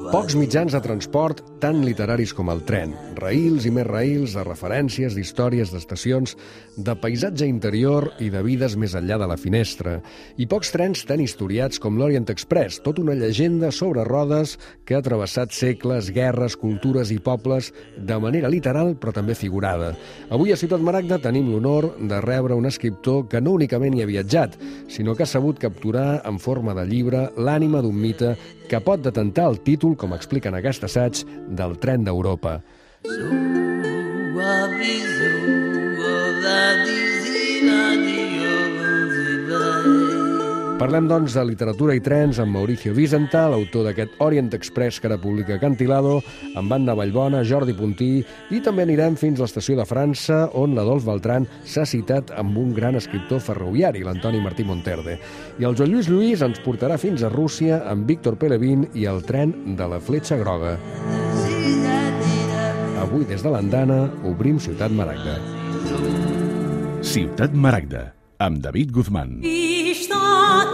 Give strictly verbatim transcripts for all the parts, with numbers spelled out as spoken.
Pocs mitjans de transport tan literaris com el tren. Raïls i més raïls de referències, d'històries, d'estacions, de paisatge interior i de vides més enllà de la finestra. I pocs trens tan historiats com l'Orient Express, tot una llegenda sobre rodes que ha travessat segles, guerres, cultures i pobles de manera literal però també figurada. Avui a Ciutat Maragda tenim l'honor de rebre un escriptor que no únicament hi ha viatjat, sinó que ha sabut capturar en forma de llibre l'ànima d'un mite que pot detentar el títol, com explica en aquest assaig, del tren d'Europa. Parlem, doncs, de literatura i trens amb Mauricio Wiesenthal, autor d'aquest Orient Express que ara publica Acantilado, amb Anna Vallbona, Jordi Puntí, i també anirem fins a l'estació de França, on l'Adolf Beltrán s'ha citat amb un gran escriptor ferroviari, l'Antoni Martí Monterde. I el Joan Lluís Lluís ens portarà fins a Rússia amb Víctor Pelevin i el tren de la Fletxa Groga. Avui, des de l'Andana, obrim Ciutat Maragda. Ciutat Maragda, amb David Guzmán.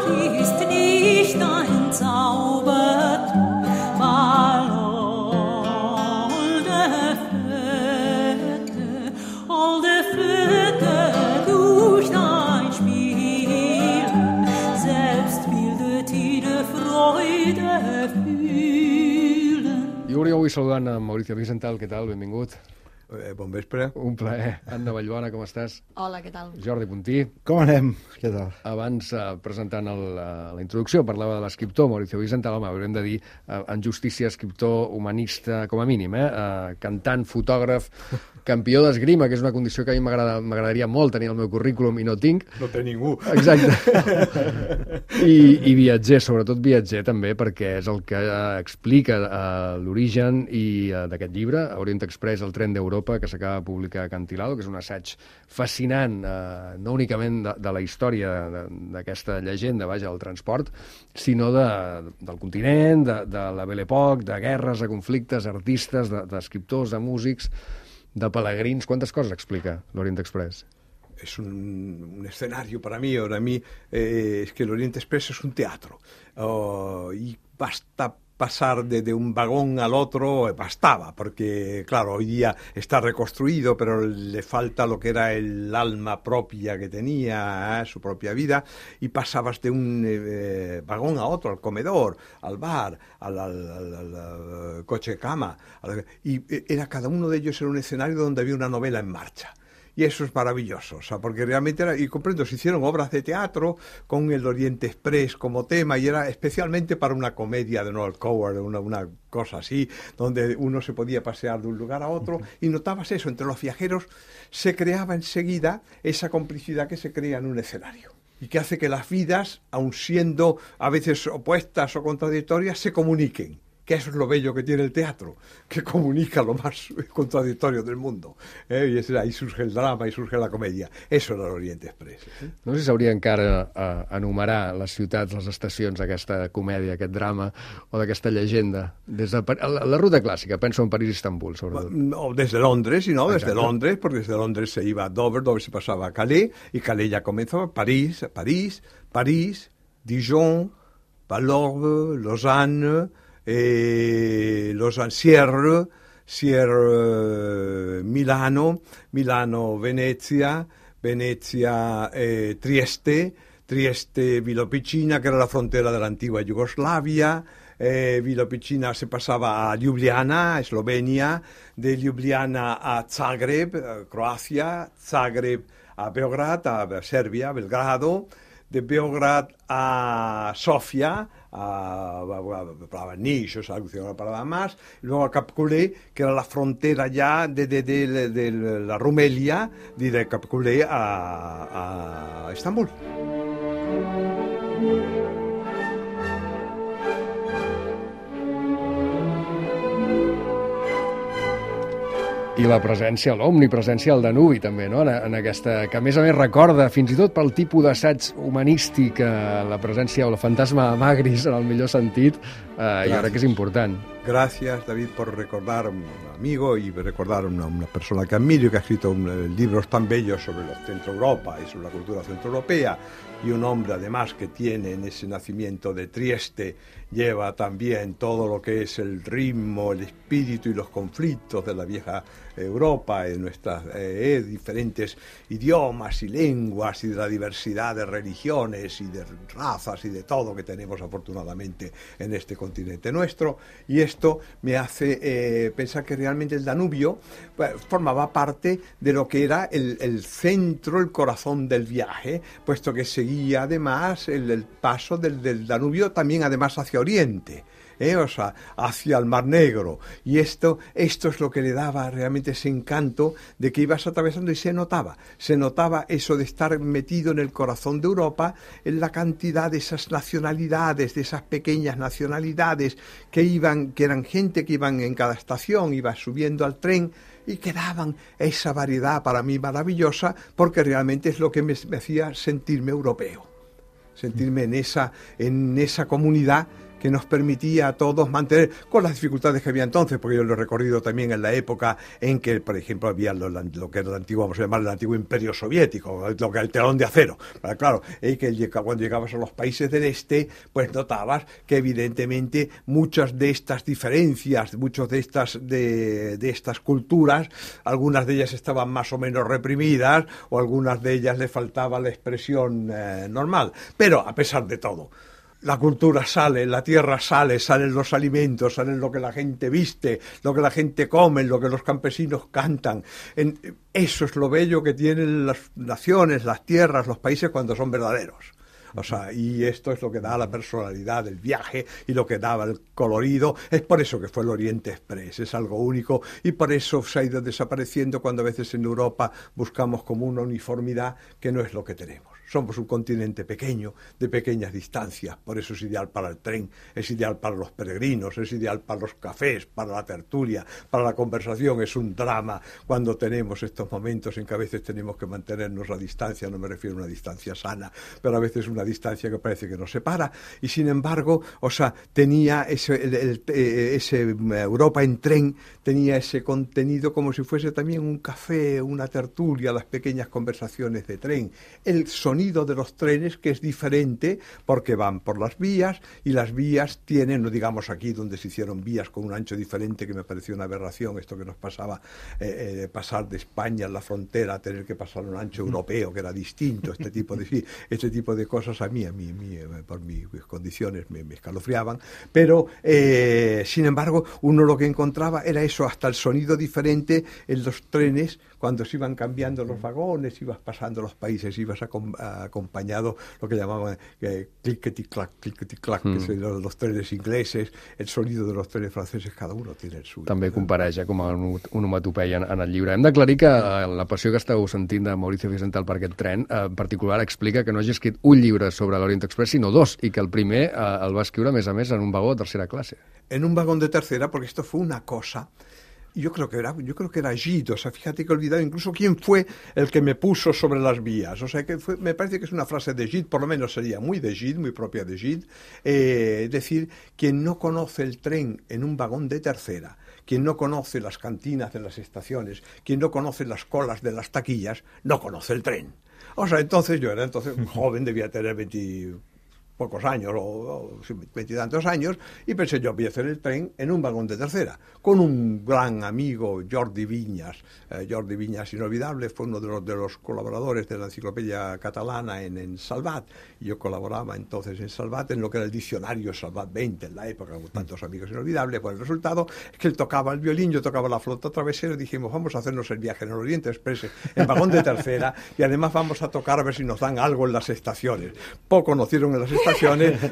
Ist nicht entzaubert, weil holde Flöte, holde Flöte durch dein Spielen, selbst bildet jede Freude fühlen. Jo hauria avui saludant a Mauricio Wiesenthal. Què tal? Benvingut. Eh, bon vespre. Un plaer. Anna Vallbona, com estàs? Hola, què tal? Jordi Puntí. Com anem? Què tal? Abans, eh, presentant el, la, la introducció, parlava de l'escriptor Mauricio Wiesenthal. Home, haurem de dir eh, en justícia escriptor, humanista, com a mínim, eh? eh cantant, fotògraf, campió d'esgrima, que és una condició que a mi m'agradaria molt tenir al meu currículum i no tinc. No té ningú. Exacte. I, I viatger, sobretot viatger també, perquè és el que eh, explica eh, l'origen i eh, d'aquest llibre, Orient Express, el tren d'Europa, que s'acaba de publicar a Acantilado, que és un assaig fascinant, eh, no únicament de, de la història d'aquesta llegenda, vaja, del transport, sinó de, del continent, de, de la Belle Époque, de guerres, de conflictes, artistes, d'escriptors, de, de músics, de pelegrins. Quantes coses explica l'Orient Express? Es un, un escenario para mí. Para mí eh, es que el Orient Express es un teatro. Oh, y basta pasar de, de un vagón al otro, bastaba, porque claro, hoy día está reconstruido, pero le falta lo que era el alma propia que tenía, ¿eh? Su propia vida, y pasabas de un eh, vagón a otro, al comedor, al bar, al, al, al, al, al coche cama, al, y era cada uno de ellos era un escenario donde había una novela en marcha. Y eso es maravilloso, o sea, porque realmente era, y comprendo, se hicieron obras de teatro con el Oriente Express como tema, y era especialmente para una comedia de Noel Coward, una, una cosa así, donde uno se podía pasear de un lugar a otro, y notabas eso, entre los viajeros se creaba enseguida esa complicidad que se crea en un escenario, y que hace que las vidas, aun siendo a veces opuestas o contradictorias, se comuniquen. Que eso es lo bello que tiene el teatro, que comunica lo más contradictorio del mundo. Eh? I és, ahí surge el drama i surge la comèdia. Eso era l'Orient Express. Eh? No sé si s'hauria encara a enumerar les ciutats, les estacions d'aquesta comèdia, aquest drama, o d'aquesta llegenda. Des de la, la ruta clàssica, penso en París i Estambul, sobretot. No, desde Londres, no, desde Exacto. Londres, porque desde Londres se iba a Dover, Dover se pasaba a Calais, y Calais ya comenzó, París, París, París, Dijon, Valorbe, Lausanne, Eh, Lausanne, Sierre, Sierre, Milano, Milano, Venezia, Venezia, eh, Trieste, Trieste, Vilopicina, que era la frontera de la antigua Yugoslavia, eh, Vilopicina se pasaba a Ljubljana, Eslovenia, de Ljubljana a Zagreb, eh, Croacia, Zagreb a Beograd, a Serbia, Belgrado, de Beograd a Sofia, a, a Niš, o sea, una parada más, y luego a Capculé, que era la frontera ya de, de, de, de, de la Rumelia, de, de Capculé a, a Estambul. I la presència, l'omnipresència del Danubi, també, no? En, en aquesta, que a més a més recorda, fins i tot pel tipus d'assaig humanístic, eh, la presència o el fantasma de Magris, en el millor sentit, eh, jo crec que és important. Gracias, David, por recordar a un amigo y recordar a una, una persona que admiro y que ha escrito un, libros tan bellos sobre la Centro Europa y sobre la cultura centroeuropea y un hombre además que tiene en ese nacimiento de Trieste, lleva también todo lo que es el ritmo, el espíritu y los conflictos de la vieja Europa, en nuestras eh, diferentes idiomas y lenguas y de la diversidad de religiones y de razas y de todo que tenemos afortunadamente en este continente nuestro, y esto me hace eh, pensar que realmente el Danubio pues, formaba parte de lo que era el, el centro, el corazón del viaje, puesto que seguía además el, el paso del, del Danubio también además hacia Oriente, ¿eh? O sea, hacia el Mar Negro, y esto, esto es lo que le daba realmente ese encanto de que ibas atravesando, y se notaba, se notaba eso de estar metido en el corazón de Europa, en la cantidad de esas nacionalidades, de esas pequeñas nacionalidades que iban, que eran gente que iban en cada estación, iba subiendo al tren, y que daban esa variedad para mí maravillosa, porque realmente es lo que me, me hacía sentirme europeo, sentirme en esa, en esa comunidad que nos permitía a todos mantener, con las dificultades que había entonces, porque yo lo he recorrido también en la época en que, por ejemplo, había lo, lo que era el antiguo, vamos a llamar el antiguo imperio soviético, lo que era el telón de acero. Pero claro, eh, que cuando llegabas a los países del este, pues notabas que evidentemente muchas de estas diferencias, muchas de estas, de, de estas culturas, algunas de ellas estaban más o menos reprimidas, o algunas de ellas le faltaba la expresión eh, normal. Pero, a pesar de todo, la cultura sale, la tierra sale, salen los alimentos, salen lo que la gente viste, lo que la gente come, lo que los campesinos cantan. En, eso es lo bello que tienen las naciones, las tierras, los países cuando son verdaderos. O sea, y esto es lo que da la personalidad del viaje y lo que daba el colorido. Es por eso que fue el Oriente Express, es algo único, y por eso se ha ido desapareciendo cuando a veces en Europa buscamos como una uniformidad que no es lo que tenemos. Somos un continente pequeño, de pequeñas distancias, por eso es ideal para el tren, es ideal para los peregrinos, es ideal para los cafés, para la tertulia, para la conversación. Es un drama cuando tenemos estos momentos en que a veces tenemos que mantenernos a distancia, no me refiero a una distancia sana, pero a veces una distancia que parece que nos separa, y sin embargo, o sea, tenía ese, el, el, ese Europa en tren, tenía ese contenido como si fuese también un café, una tertulia, las pequeñas conversaciones de tren, el sonido de los trenes, que es diferente porque van por las vías, y las vías tienen, no digamos aquí donde se hicieron vías con un ancho diferente, que me pareció una aberración esto que nos pasaba, eh, eh, pasar de España a la frontera, tener que pasar un ancho europeo que era distinto, este tipo de, sí, este tipo de cosas a mí, a mí, a mí por mis condiciones me, me escalofriaban, pero eh, sin embargo uno lo que encontraba era eso, hasta el sonido diferente en los trenes, cuando se iban cambiando los vagones, ibas pasando los países, ibas a, a, acompañado lo que llamaban eh, clickety-clack, clickety-clack, mm. que son los, los trenes ingleses, el sonido de los trenes franceses, cada uno tiene el suyo. També compareix com a onomatopeia en, en el llibre. Hem d'aclarir que eh, la passió que esteu sentint de Mauricio Vicental per aquest tren, eh, en particular explica que no hagi escrit un llibre sobre l'Orient Express, sinó dos, i que el primer eh, el va escriure, a més a més, en un vagó de tercera clase. En un vagón de tercera, porque esto fue una cosa... Yo creo que era, yo creo que era Gide, o sea, fíjate que he olvidado incluso quién fue el que me puso sobre las vías, o sea, que fue, me parece que es una frase de Gide, por lo menos sería muy de Gide, muy propia de Gide, eh, es decir, quien no conoce el tren en un vagón de tercera, quien no conoce las cantinas de las estaciones, quien no conoce las colas de las taquillas, no conoce el tren. O sea, entonces yo era entonces joven, debía tener veinte... pocos años, o veintitantos años, y pensé yo voy a hacer el tren en un vagón de tercera, con un gran amigo, Jordi Viñas. Eh, Jordi Viñas, inolvidable, fue uno de los, de los colaboradores de la enciclopedia catalana en, en Salvat, y yo colaboraba entonces en Salvat, en lo que era el diccionario Salvat veinte, en la época, con tantos amigos inolvidables. Pues el resultado es que él tocaba el violín, yo tocaba la flauta travesera, y dijimos, vamos a hacernos el viaje en el Oriente Express, en vagón de tercera, y además vamos a tocar a ver si nos dan algo en las estaciones. Poco nos dieron en las estaciones,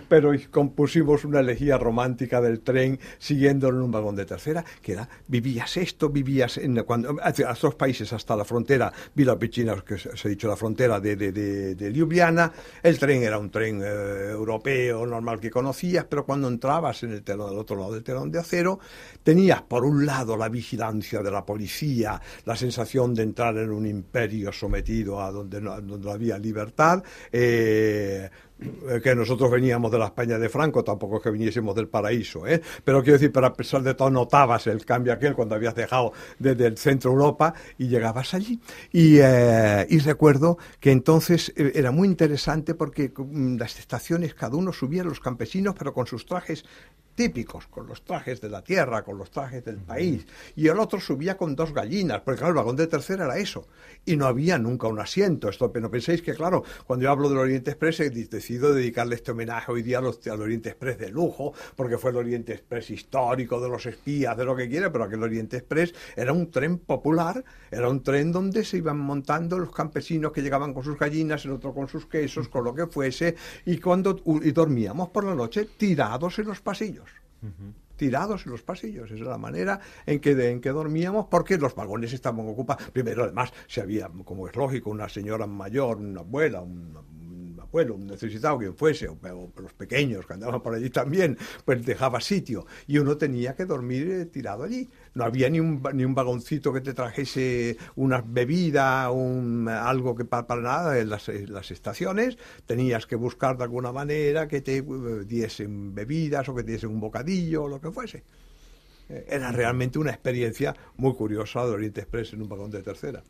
pero compusimos una elegía romántica del tren siguiéndolo en un vagón de tercera, que era, vivías esto, vivías en, cuando, hacia los países hasta la frontera, Vila Picina, que se ha dicho la frontera de, de, de, de Ljubljana. El tren era un tren eh, europeo, normal, que conocías, pero cuando entrabas en el telón, al otro lado del telón de acero, tenías por un lado la vigilancia de la policía, la sensación de entrar en un imperio sometido a donde no, donde no había libertad, eh, que nosotros veníamos de la España de Franco, tampoco es que viniésemos del paraíso, ¿eh? Pero quiero decir, pero a pesar de todo notabas el cambio aquel cuando habías dejado desde el centro de Europa y llegabas allí. Y, eh, y recuerdo que entonces eh, era muy interesante porque mm, las estaciones, cada uno subía, los campesinos, pero con sus trajes típicos, con los trajes de la tierra, con los trajes del país, y el otro subía con dos gallinas, porque claro, el vagón de tercera era eso, y no había nunca un asiento. Esto, no penséis que, claro, cuando yo hablo del Oriente Express, he decidido dedicarle este homenaje hoy día los, al Oriente Express de lujo, porque fue el Oriente Express histórico, de los espías, de lo que quiera, pero aquel Oriente Express era un tren popular, era un tren donde se iban montando los campesinos que llegaban con sus gallinas, el otro con sus quesos, con lo que fuese, y cuando y dormíamos por la noche tirados en los pasillos. Uh-huh. Tirados en los pasillos, esa es la manera en que, de, en que dormíamos, porque los vagones estaban ocupados. Primero, además, si había, como es lógico, una señora mayor, una abuela, un, un abuelo, un necesitado, quien fuese, o, o los pequeños que andaban por allí también, pues dejaba sitio, y uno tenía que dormir eh, tirado allí. No había ni un, ni un vagoncito que te trajese una bebida, un, algo que para, para nada en las, en las estaciones. Tenías que buscar de alguna manera que te uh, diesen bebidas o que te diesen un bocadillo o lo que fuese. Eh, era realmente una experiencia muy curiosa de Oriente Express en un vagón de tercera.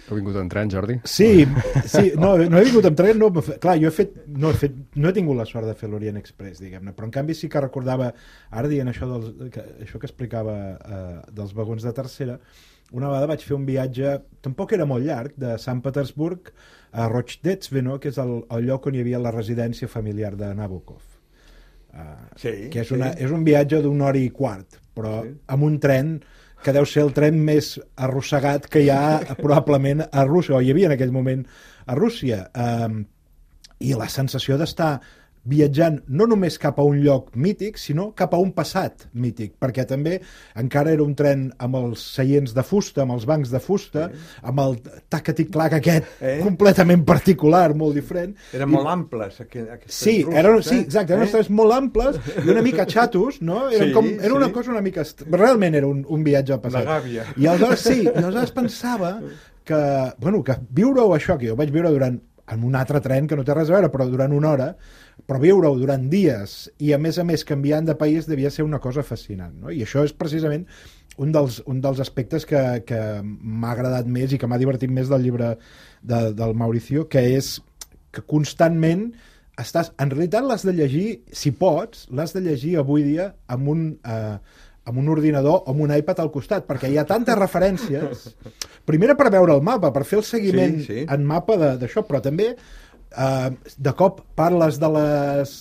Heu vingut en tren, Jordi? Sí, sí, no, no he vingut en tren, no, clar, jo he fet, no, he fet, no he tingut la sort de fer l'Orient Express, diguem-ne, però en canvi sí que recordava, ara dient això, dels, que, això que explicava eh, dels vagons de tercera, una vegada vaig fer un viatge, tampoc era molt llarg, de Sant Petersburg a Rochdetsveno, que és el, el lloc on hi havia la residència familiar de Nabokov. Uh, sí, que és, sí. una, és un viatge d'una hora i quart, però sí. amb un tren que deu ser el tren més arrossegat que hi ha probablement a Rússia, o hi havia en aquell moment a Rússia. Um, I la sensació d'estar viatjant no només cap a un lloc mític, sinó cap a un passat mític, perquè també encara era un tren amb els seients de fusta, amb els bancs de fusta, sí. amb el tac-a-tic-clac aquest eh? completament particular, molt diferent. Eren molt amples, aquests sí, russos, eren, eh? sí, exacte, eren eh? molt amples i una mica xatos, no? Eren sí, com, era una sí. cosa una mica... Realment era un, un viatge al passat. Una gàbia. I aleshores, sí, i aleshores pensava que, bueno, que viure-ho això, que jo vaig viure durant en un altre tren que no té res a veure, però durant una hora, però viure-ho durant dies i a més a més canviant de país devia ser una cosa fascinant, no? I això és precisament un dels, un dels aspectes que, que m'ha agradat més i que m'ha divertit més del llibre de, del Mauricio, que és que constantment estàs... En realitat l'has de llegir, si pots, l'has de llegir avui dia amb un... Eh, amb un ordinador o amb un iPad al costat, perquè hi ha tantes referències. Primera per veure el mapa, per fer el seguiment sí, sí. en mapa d'això, però també eh, de cop parles de les,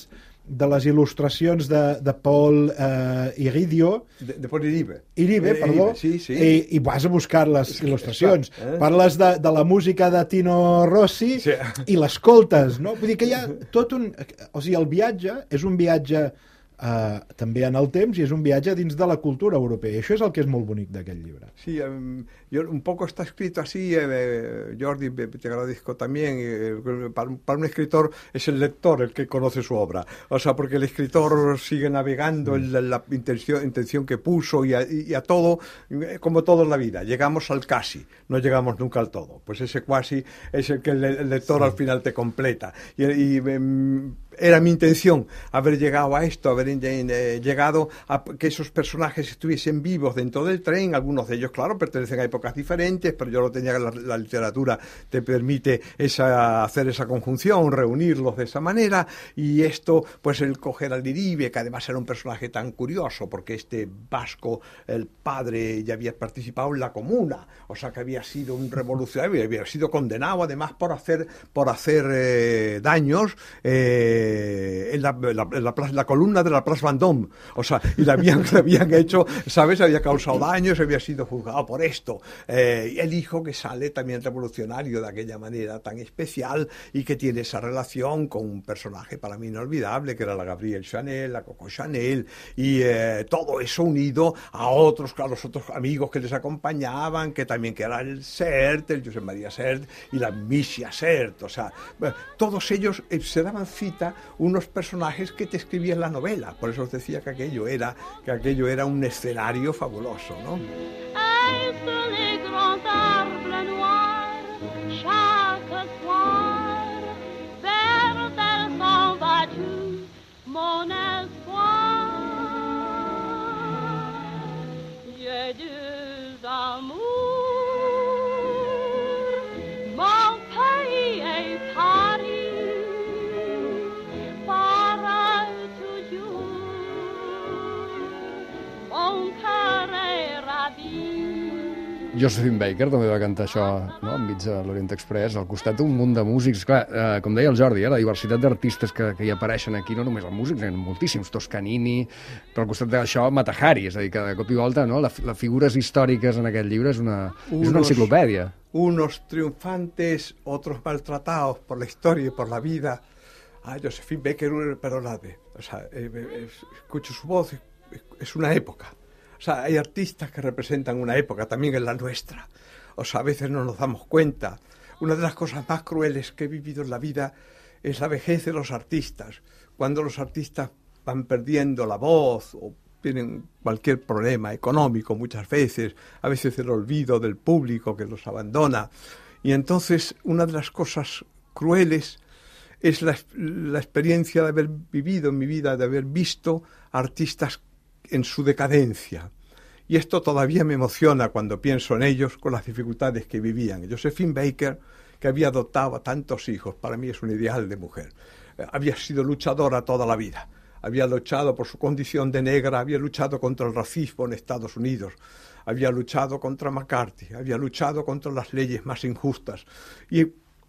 de les il·lustracions de, de Paul eh, Iridio. De, de Paul Iribe. Iribe, perdó. Iribe, sí, sí. I, I vas a buscar les sí, il·lustracions. Eh? Parles de, de la música de Tino Rossi sí. i l'escoltes, no? Vull dir que hi ha tot un... O sigui, el viatge és un viatge... Uh, també en el temps y es un viaje dins de la cultura europea. Y eso es el que es muy bonic d'aquest llibre. Sí, um, yo, un poco está escrito así, eh, Jordi, te agradezco también, eh, para, para un escritor es el lector el que conoce su obra, o sea, porque el escritor sigue navegando en la, la intención, intención que puso y a, y a todo, eh, como todo en la vida, llegamos al casi, no llegamos nunca al todo, pues ese cuasi es el que el, el lector sí. al final te completa. Y, y um, era mi intención haber llegado a esto, haber eh, llegado a que esos personajes estuviesen vivos dentro del tren. Algunos de ellos, claro, pertenecen a épocas diferentes, pero yo lo tenía, la, la literatura te permite esa, hacer esa conjunción, reunirlos de esa manera, y esto, pues el coger al Iribe, que además era un personaje tan curioso, porque este vasco, el padre, ya había participado en la Comuna, o sea que había sido un revolucionario, había sido condenado además por hacer, por hacer eh, daños, eh, en la, la, la, la, la columna de la Place Vendôme, o sea, y le habían, le habían hecho, ¿sabes? Había causado daños, había sido juzgado por esto. Eh, y el hijo que sale también revolucionario de aquella manera tan especial y que tiene esa relación con un personaje para mí inolvidable, que era la Gabrielle Chanel, la Coco Chanel, y eh, todo eso unido a otros, a los otros amigos que les acompañaban, que también que era el Sert, el Josep María Sert y la Missia Sert, o sea, todos ellos eh, se daban cita unos personajes que te escribían la novela. Por eso os decía que aquello era, que aquello era un escenario fabuloso, ¿no? Chaque soir, vers mon espoir. J'ai deux amours, mon pays est Paris, para toujours, mon cœur est ravi. Josephine Baker també va cantar això, no?, enmig de l'Orient Express, al costat d'un munt de músics. Clar, eh, com deia el Jordi, eh, la diversitat d'artistes que, que hi apareixen aquí, no només els músics, hi ha moltíssims, Toscanini, però al costat d'això, Mata Hari, és a dir, que de cop i volta, no?, les la figures històriques en aquest llibre és una, unos, és una enciclopèdia. Unos triunfantes, otros maltratados por la historia y por la vida. Ah, Josephine Baker, perdonadme, o sea, eh, eh, escucho su voz, es una época. O sea, hay artistas que representan una época, también en la nuestra. O sea, a veces no nos damos cuenta. Una de las cosas más crueles que he vivido en la vida es la vejez de los artistas. Cuando los artistas van perdiendo la voz o tienen cualquier problema económico muchas veces, a veces el olvido del público que los abandona. Y entonces una de las cosas crueles es la, la experiencia de haber vivido en mi vida, de haber visto artistas en su decadencia. Y esto todavía me emociona cuando pienso en ellos con las dificultades que vivían. Josephine Baker, que había adoptado a tantos hijos, para mí es un ideal de mujer. Eh, había sido luchadora toda la vida. Había luchado por su condición de negra, había luchado contra el racismo en Estados Unidos, había luchado contra McCarthy, había luchado contra las leyes más injustas. Y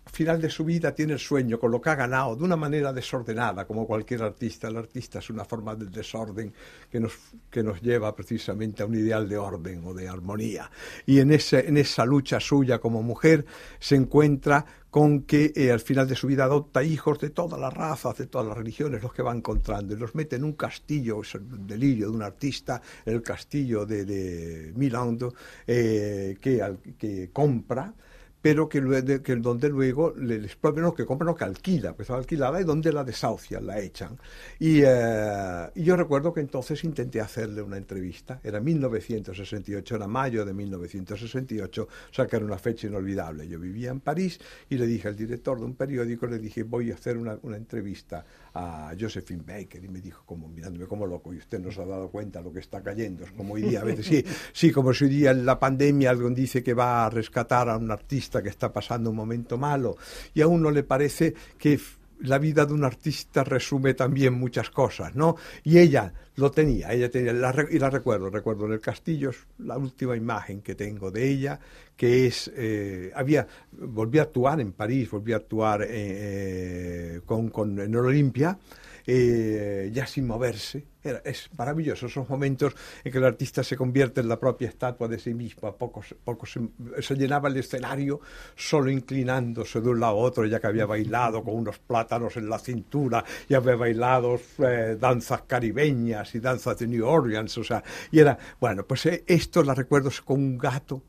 al final de su vida tiene el sueño, con lo que ha ganado, de una manera desordenada, como cualquier artista. El artista es una forma del desorden que nos, que nos lleva precisamente a un ideal de orden o de armonía. Y en, ese, en esa lucha suya como mujer se encuentra con que eh, al final de su vida adopta hijos de todas las razas, de todas las religiones, los que va encontrando, y los mete en un castillo, es el delirio de un artista, el castillo de, de Milán, eh, que, al, que compra, pero que, que donde luego le, les propio, no, que compra, no, que alquila, pues alquilada, y donde la desahucian, la echan. Y, eh, y yo recuerdo que entonces intenté hacerle una entrevista, era mil novecientos sesenta y ocho, era mayo de mil novecientos sesenta y ocho, o sea que era una fecha inolvidable. Yo vivía en París y le dije al director de un periódico, le dije, voy a hacer una, una entrevista a Josephine Baker, y me dijo, como mirándome como loco, y usted no se ha dado cuenta lo que está cayendo, es como hoy día, a veces sí, sí, como si hoy día en la pandemia alguien dice que va a rescatar a un artista que está pasando un momento malo, y a uno le parece que la vida de un artista resume también muchas cosas, ¿no? Y ella lo tenía, ella tenía, la, y la recuerdo, recuerdo en el castillo, la última imagen que tengo de ella, que es, eh, había, volví a actuar en París, volví a actuar eh, eh, con, con, en Olimpia, eh, ya sin moverse. Era, es maravilloso esos momentos en que el artista se convierte en la propia estatua de sí mismo. A poco, poco se, se llenaba el escenario solo inclinándose de un lado a otro, ya que había bailado con unos plátanos en la cintura, y había bailado eh, danzas caribeñas y danzas de New Orleans, o sea, y era, bueno, pues eh, esto la recuerdo con un gato,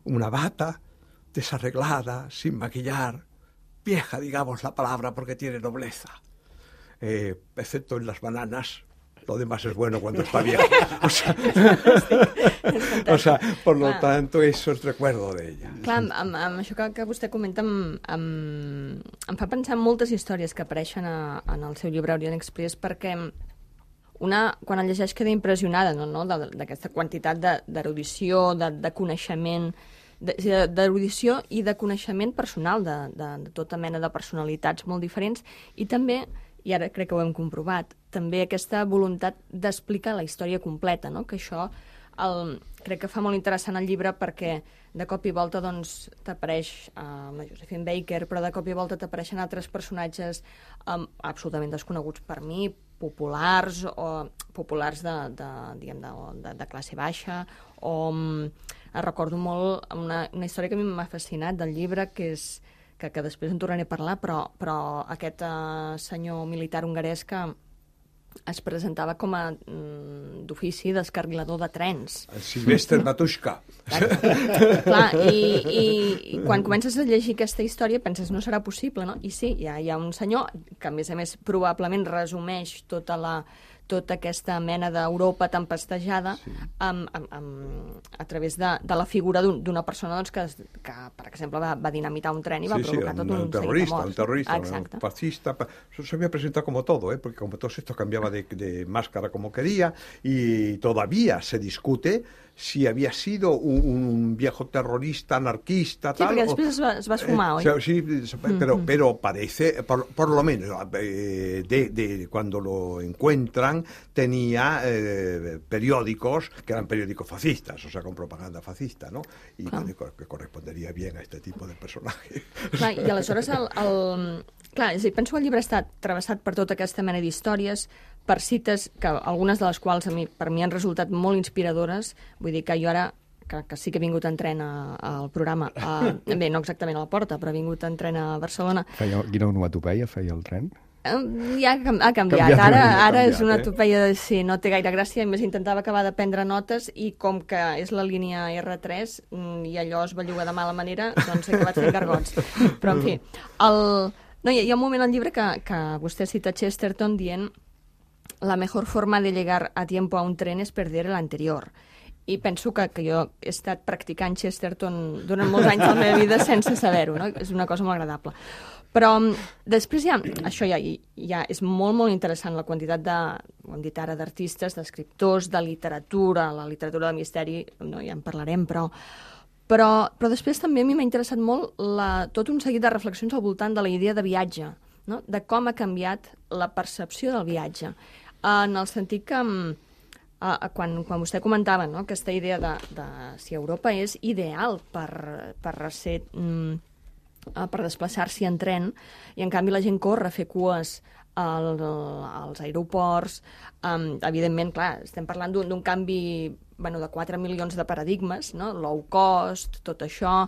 una bata desarreglada, sin maquillar, vieja, digamos la palabra, porque tiene nobleza, eh, excepto en las bananas. Lo demás es bueno cuando está vieja. O sea, o sea, por lo Clar. tanto, eso es recuerdo de ella. Clar, amb, amb, amb això que, que vostè comenta em, em, em fa pensar en moltes històries que apareixen a, en el seu llibre Orient Express, perquè una, quan el llegeix, queda impressionada, no, no, d'aquesta quantitat d'erudició, de, de, de coneixement, d'erudició i de coneixement personal de, de, de tota mena de personalitats molt diferents, i també, i ara crec que ho hem comprovat, també aquesta voluntat d'explicar la història completa, no? Que això el, crec que fa molt interessant el llibre, perquè de cop i volta doncs, t'apareix eh, la Josephine Baker, però de cop i volta t'apareixen altres personatges eh, absolutament desconeguts per mi, populars, o populars de, de, diguem, de, de, de classe baixa, o eh, recordo molt una, una història que a mi m'ha fascinat del llibre, que és que, que després en tornaré a parlar, però, però aquest eh, senyor militar hongarès que es presentava com a mm, d'ofici descarrilador de trens. El Silvestre Matushka. Clar, i, i, i quan comences a llegir aquesta història penses, no serà possible, no? I sí, hi ha, hi ha un senyor que, a més a més, probablement resumeix tota la, tota aquesta mena d'Europa tempestejada sí. amb, amb, amb, a través de, de la figura d'una persona doncs, que, que, per exemple, va, va dinamitar un tren i va sí, provocar sí, tot un, un, un terrorista, seguit de morts. Un terrorista, Exacte. un fascista. Eso se había presentado como todo, ¿eh? Porque como todo esto cambiaba de, de máscara como quería y todavía se discute si había sido un, un viejo terrorista, anarquista, sí, tal. Sí, porque después o, es va esfumar, eh, Sí, pero, mm-hmm. pero parece, por, por lo menos, eh, de, de cuando lo encuentran, tenía eh, periódicos que eran periódicos fascistas, o sea, con propaganda fascista, ¿no? Y clar. que, que correspondería bien a este tipo de personajes. Clar, i aleshores, el, el... clar, és a dir, penso que el llibre està travessat per tota aquesta mena d'històries, per cites, que algunes de les quals a mi, per mi han resultat molt inspiradores. Vull dir que jo ara, que, que sí que he vingut en tren a, al programa, a, bé, no exactament a la porta, però he vingut en tren a Barcelona. Feia, quina onomatopeia feia el tren? Ja ha canviat. canviat Ara, ha ara canviat, és una eh? topeia de sí, no té gaire gràcia, i més intentava acabar de prendre notes i com que és la línia erre tres i allò es belluga de mala manera, doncs he acabat fent gargots. Però, en fi, el... no, hi ha un moment al llibre que, que vostè cita Chesterton dient la mejor forma de llegar a tiempo a un tren es perder el anterior. I penso que, que jo he estat practicant Chesterton durant molts anys de la meva vida sense saber-ho, no? És una cosa molt agradable. Però després ja, això ja, ja és molt, molt interessant, la quantitat de, ho hem dit ara, d'artistes, d'escriptors, de literatura, la literatura de misteri, no, ja en parlarem, però, però, però després també a mi m'ha interessat molt la, tot un seguit de reflexions al voltant de la idea de viatge, no? De com ha canviat la percepció del viatge, en el sentit que Uh, quan, quan vostè comentava, no?, aquesta idea de, de si Europa és ideal per, per ser... Mm, uh, per desplaçar-s'hi en tren, i en canvi la gent corre a fer cues al, als aeroports. Um, evidentment, clar, estem parlant d'un canvi, bueno, de quatre milions de paradigmes, no?, low cost, tot això,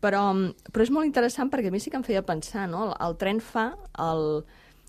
però, però és molt interessant perquè a mi sí que em feia pensar, no?, el, el tren fa... El,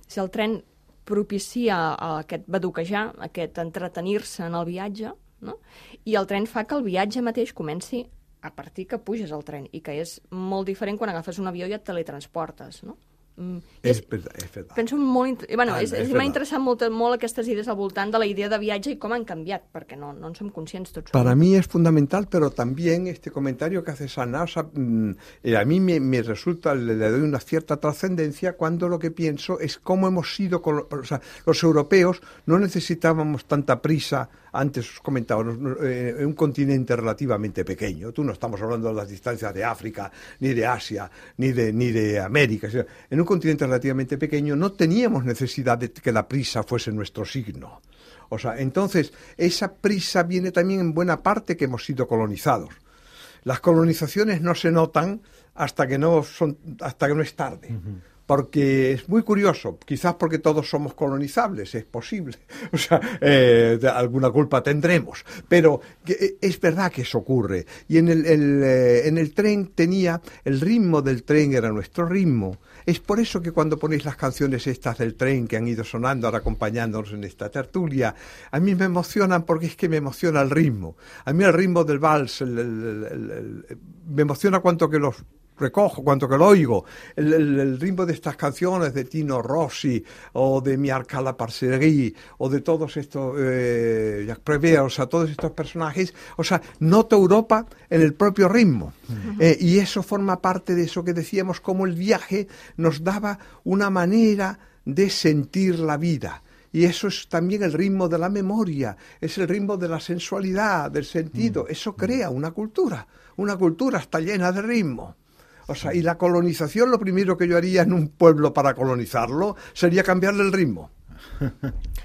si el tren propicia aquest baduquejar, aquest entretenir-se en el viatge, no? I el tren fa que el viatge mateix comenci a partir que puges al tren, i que és molt diferent quan agafes un avió i et teletransportes, no? Mm, és, és, verdad, és verdad. Penso molt... Bueno, ah, és, és, m'ha interessat molt, molt aquestes idees al voltant de la idea de viatge i com han canviat, perquè no, no en som conscients tots. Para mí es fundamental, pero también este comentario que hace Ana, o sea, a mí me, me resulta, le, le doy una cierta trascendencia cuando lo que pienso es cómo hemos sido, o sea, los europeos no necesitábamos tanta prisa. Antes os comentaba, eh, un continente relativamente pequeño. Tú no estamos hablando de las distancias de África, ni de Asia, ni de, ni de América. En un continente relativamente pequeño no teníamos necesidad de que la prisa fuese nuestro signo. O sea, entonces, esa prisa viene también en buena parte que hemos sido colonizados. Las colonizaciones no se notan hasta que no, son, hasta que no es tarde. Uh-huh. Porque es muy curioso, quizás porque todos somos colonizables, es posible, o sea, eh, alguna culpa tendremos, pero que, es verdad que eso ocurre. Y en el, el, eh, en el tren tenía, el ritmo del tren era nuestro ritmo. Es por eso que cuando ponéis las canciones estas del tren que han ido sonando ahora acompañándonos en esta tertulia, a mí me emocionan porque es que me emociona el ritmo. A mí el ritmo del vals, el, el, el, el, me emociona cuanto que los recojo, cuanto que lo oigo, el, el, el ritmo de estas canciones de Tino Rossi o de Miarca la Parcerie o de todos estos eh, Jacques Prévert, o sea, todos estos personajes, o sea, noto Europa en el propio ritmo. Uh-huh. eh, y eso forma parte de eso que decíamos, como el viaje nos daba una manera de sentir la vida. Y eso es también el ritmo de la memoria, es el ritmo de la sensualidad, del sentido. Uh-huh. Eso crea una cultura, una cultura está llena de ritmo. O sea, y la colonización, lo primero que yo haría en un pueblo para colonizarlo sería cambiarle el ritmo.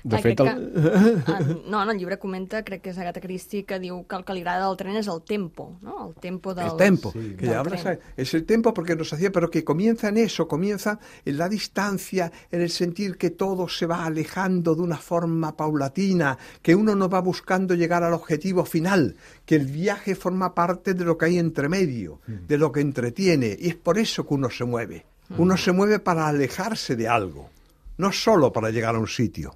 De Ai, fet, el... que, no, en el llibre comenta, crec que és Agatha Christie, que diu que el que li agrada del tren és el tempo, ¿no? El tempo del El tempo, sí, que ya hablas, es el tempo porque nos hacía, pero que comienza en eso, comienza en la distancia, en el sentir que todo se va alejando de una forma paulatina, que uno no va buscando llegar al objetivo final, que el viaje forma parte de lo que hay entre medio, mm. de lo que entretiene, y es por eso que uno se mueve. Mm. Uno se mueve para alejarse de algo, no solo para llegar a un sitio.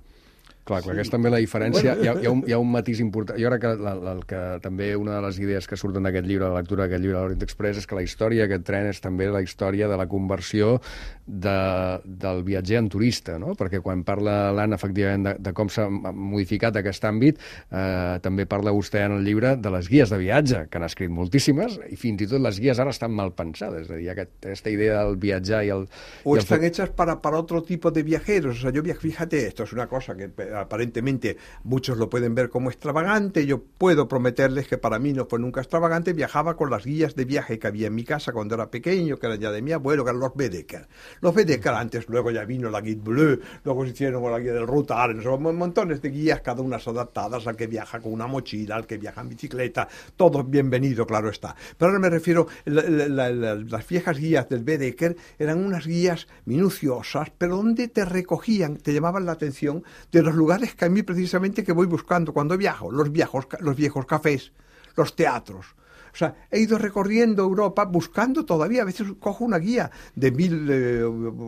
Clar, clar, sí. Que és també la diferència. Bueno. Hi, ha, hi, ha un, hi ha un matís important. Jo crec que, la, la, que també una de les idees que surten d'aquest llibre, la lectura d'aquest llibre de l'Orient Express, és que la història d'aquest tren és també la història de la conversió de, del viatger en turista, no? Perquè quan parla l'Anna, efectivament, de, de com s'ha modificat aquest àmbit, eh, també parla vostè en el llibre de les guies de viatge, que han escrit moltíssimes, i fins i tot les guies ara estan mal pensades. És a dir, aquest, aquesta idea del viatjar i el... O i están el... hechas para, para otro tipo de viajeros. O sea, yo viajo, fíjate, esto es una cosa que aparentemente muchos lo pueden ver como extravagante. Yo puedo prometerles que para mí no fue nunca extravagante. Viajaba con las guías de viaje que había en mi casa cuando era pequeño, que eran ya de mi abuelo, que eran los Baedeker. Los Baedeker antes, luego ya vino la Guide Bleu, luego se hicieron con la guía del Rutar, son montones de guías, cada una adaptadas al que viaja con una mochila, al que viaja en bicicleta, todo bienvenido, claro está. Pero ahora me refiero, la, la, la, las viejas guías del Baedeker eran unas guías minuciosas, pero donde te recogían, te llamaban la atención de los lugares que a mí precisamente que voy buscando cuando viajo, los viejos, los viejos cafés, los teatros. O sea, he ido recorriendo Europa buscando todavía, a veces cojo una guía de mil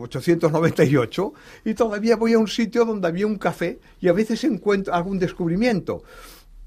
ochocientos noventa y ocho y todavía voy a un sitio donde había un café y a veces encuentro algún descubrimiento.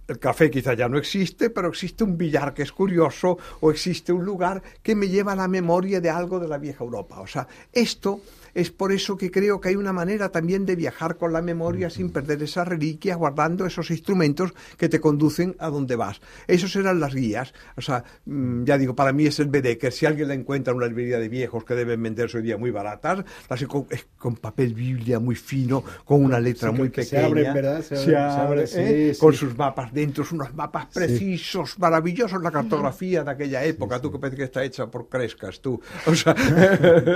El café quizá ya no existe, pero existe un billar que es curioso o existe un lugar que me lleva a la memoria de algo de la vieja Europa. O sea, esto es por eso que creo que hay una manera también de viajar con la memoria sin perder esas reliquias, guardando esos instrumentos que te conducen a donde vas. Esos eran las guías. O sea, ya digo, para mí es el Baedeker. Si alguien la encuentra en una librería de viejos que deben venderse hoy día muy baratas, las con, con papel biblia muy fino, con una letra sí, muy pequeña. Se abren, ¿verdad? Se, se abre, se abre, ¿eh? Sí, con sí. sus mapas dentro, unos mapas precisos, sí. maravillosos, la cartografía de aquella época. Sí, sí. Tú que parece que está hecha por Crescas, tú. O sea,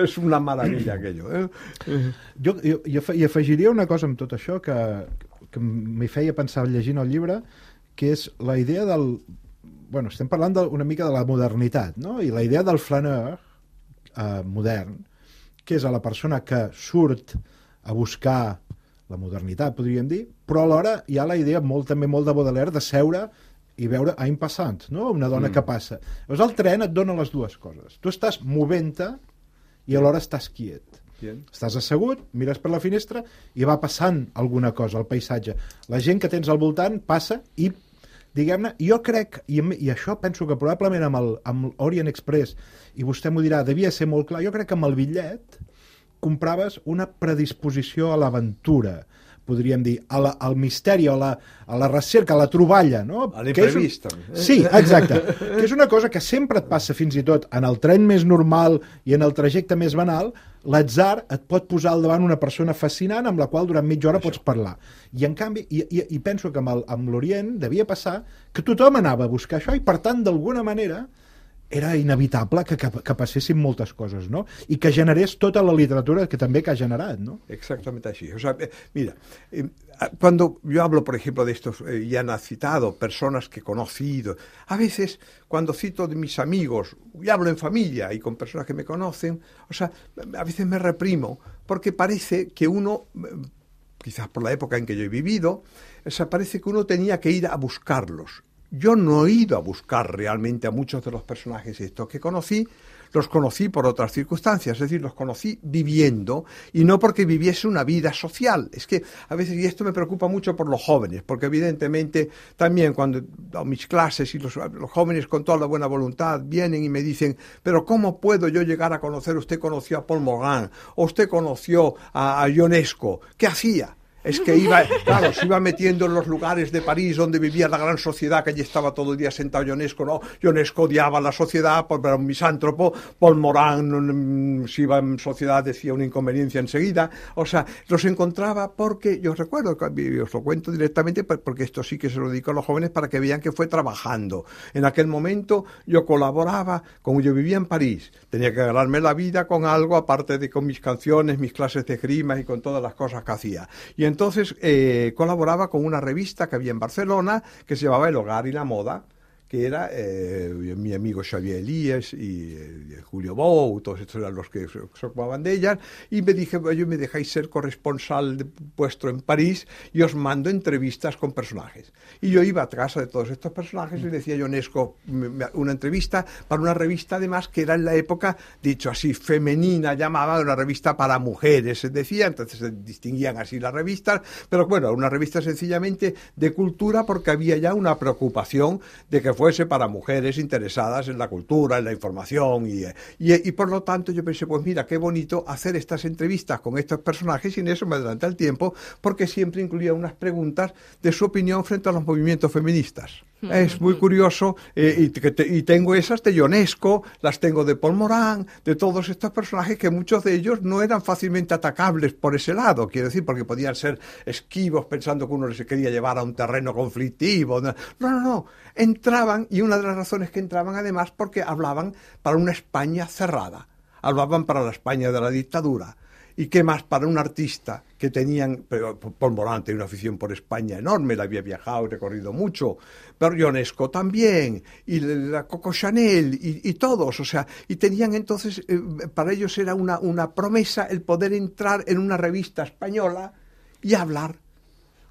es una maravilla aquello. Eh? Jo, jo, jo hi afegiria una cosa amb tot això que, que m'hi feia pensar llegint el llibre, que és la idea del... Bueno, estem parlant de, una mica de la modernitat, no? I la idea del flaneur eh, modern, que és a la persona que surt a buscar la modernitat, podríem dir, però alhora hi ha la idea molt, també molt de Baudelaire de seure i veure un passant, no? Una dona mm. que passa. Llavors el tren et dona les dues coses. Tu estàs movent-te i alhora estàs quiet. Bien. Estàs assegut, mires per la finestra i va passant alguna cosa, el paisatge. La gent que tens al voltant passa i, diguem-ne, jo crec, i, i això penso que probablement amb el amb Orient Express, i vostè m'ho dirà, devia ser molt clar, jo crec que amb el bitllet compraves una predisposició a l'aventura, podríem dir, a la, al misteri, a la, a la recerca, a la troballa, no? A l'imprevist. Un... Sí, exacte. Que és una cosa que sempre et passa fins i tot en el tren més normal i en el trajecte més banal, l'atzar et pot posar al davant una persona fascinant amb la qual durant mitja hora Això. pots parlar. I en canvi, i, i, i penso que amb, el, amb l'Orient devia passar que tothom anava a buscar això i per tant, d'alguna manera, era inevitable que, que, que passessin moltes coses, ¿no? Y que generés tota la literatura que també que ha generat, ¿no? Exactamente así. O sea, eh, mira, eh, cuando yo hablo, por ejemplo, de estos, eh, ya han citado personas que he conocido, a veces cuando cito de mis amigos, y hablo en familia y con personas que me conocen, o sea, a veces me reprimo, porque parece que uno, quizás por la época en que yo he vivido, o sea, parece que uno tenía que ir a buscarlos. Yo no he ido a buscar realmente a muchos de los personajes estos que conocí, los conocí por otras circunstancias, es decir, los conocí viviendo y no porque viviese una vida social. Es que a veces, y esto me preocupa mucho por los jóvenes, porque evidentemente también cuando doy mis clases y los, los jóvenes con toda la buena voluntad vienen y me dicen, pero ¿cómo puedo yo llegar a conocer? Usted conoció a Paul Morand, o usted conoció a, a Ionesco, ¿qué hacía? Es que iba, claro, se iba metiendo en los lugares de París donde vivía la gran sociedad, que allí estaba todo el día sentado Ionesco, ¿no? Ionesco odiaba la sociedad, porque era un misántropo, Paul Morand, si iba en sociedad, decía una inconveniencia enseguida. O sea, los encontraba porque, yo recuerdo, os lo cuento directamente, porque esto sí que se lo dedico a los jóvenes para que vean que fue trabajando. En aquel momento yo colaboraba, como yo vivía en París, tenía que ganarme la vida con algo, aparte de con mis canciones, mis clases de esgrima y con todas las cosas que hacía. Y entonces eh, colaboraba con una revista que había en Barcelona que se llamaba El Hogar y la Moda, que era eh, mi amigo Xavier Elías y eh, Julio Bou, todos estos eran los que se, se ocupaban de ellas, y me dije, yo me dejáis ser corresponsal de, puesto en París y os mando entrevistas con personajes. Y yo iba a casa de todos estos personajes y le decía a Ionesco una entrevista para una revista, además, que era en la época, dicho así, femenina, llamaba una revista para mujeres, se decía, entonces se distinguían así las revistas, pero bueno, una revista sencillamente de cultura, porque había ya una preocupación de que fuese para mujeres interesadas en la cultura, en la información, y, y, y por lo tanto yo pensé, pues mira, qué bonito hacer estas entrevistas con estos personajes, y en eso me adelanté el tiempo, porque siempre incluía unas preguntas de su opinión frente a los movimientos feministas. Es muy curioso, eh, y, que te, y tengo esas de Ionesco, las tengo de Paul Morán, de todos estos personajes que muchos de ellos no eran fácilmente atacables por ese lado, quiero decir, porque podían ser esquivos pensando que uno se quería llevar a un terreno conflictivo. No, no, no, entraban, y una de las razones que entraban además porque hablaban para una España cerrada, hablaban para la España de la dictadura. ¿Y qué más para un artista que tenían, pero Paul Morán tenía una afición por España enorme, la había viajado y recorrido mucho, pero Ionesco también, y la Coco Chanel, y, y todos, o sea, y tenían entonces, eh, para ellos era una, una promesa el poder entrar en una revista española y hablar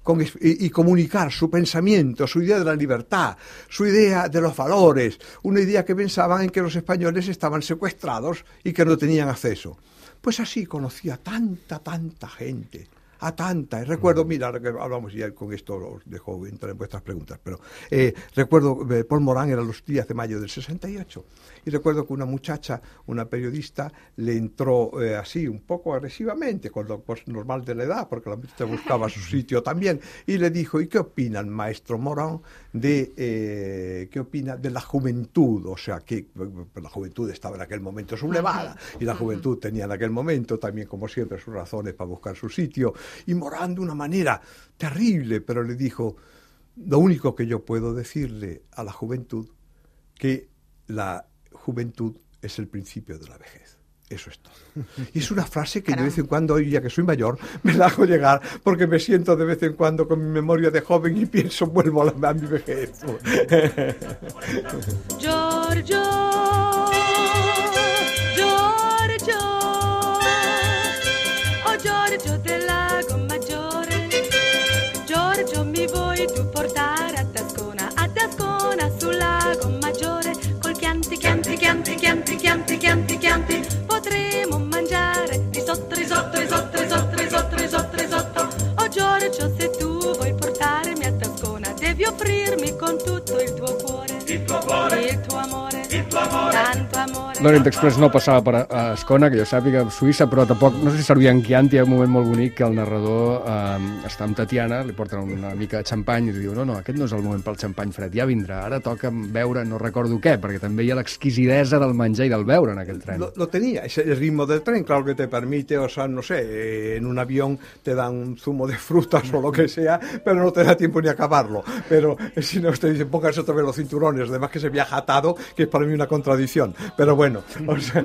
Con, y, y comunicar su pensamiento, su idea de la libertad, su idea de los valores, una idea que pensaban en que los españoles estaban secuestrados y que no tenían acceso. Pues así conocí a tanta, tanta gente, a tanta. Y recuerdo, mira, que hablamos ya con esto, os dejo entrar en vuestras preguntas, pero eh, recuerdo, eh, Paul Morán era los días de mayo del sesenta y ocho, y recuerdo que una muchacha, una periodista, le entró eh, así, un poco agresivamente, con lo pues, normal de la edad, porque la muchacha buscaba su sitio también, y le dijo, ¿y qué opina el maestro Morán de, eh, qué opina de la juventud? O sea, que la juventud estaba en aquel momento sublevada, y la juventud tenía en aquel momento también, como siempre, sus razones para buscar su sitio, y Morán de una manera terrible, pero le dijo, lo único que yo puedo decirle a la juventud, que la juventud es el principio de la vejez. Eso es todo. Y es una frase que Caramba. de vez en cuando, hoy ya que soy mayor, me la hago llegar, porque me siento de vez en cuando con mi memoria de joven y pienso, vuelvo a, la, a mi vejez. Giorgio, Giorgio, oh Giorgio del Lago Maggiore, Giorgio mi vuoi tu portare a Tascona, a Tascona sul Lago Maggiore, col Chianti, Chianti, Chianti, Chianti, Chianti, Chianti, Chianti, potremo mangiare risotto, risotto, risotto, risotto, risotto, risotto, risotto. Oh Giorgio, se tu vuoi portarmi a Tascona, devi offrirmi con tutto il tuo cuore, il tuo cuore, il tuo amore, il tuo amore, tanto amore. L'Orient Express no passava per a Ascona, que jo sàpiga, a Suïssa, però tampoc, no sé si servia en Chianti. Hi ha un moment molt bonic que el narrador eh, està amb Tatiana, li porten una mica de xampany i diu, no, no, aquest no és el moment pel xampany fred, ja vindrà, ara toca beure no recordo què, perquè també hi ha l'exquisidesa del menjar i del beure en aquell tren. Lo, lo tenía, es el ritmo del tren, claro que te permite, o sea, no sé, en un avión te dan un zumo de frutas o lo que sea, pero no te da tiempo ni a acabarlo, pero si no te dicen, pónganse otra vez los cinturones, además que se viaja atado, que es para mí una contradicción, pero bueno, o sea,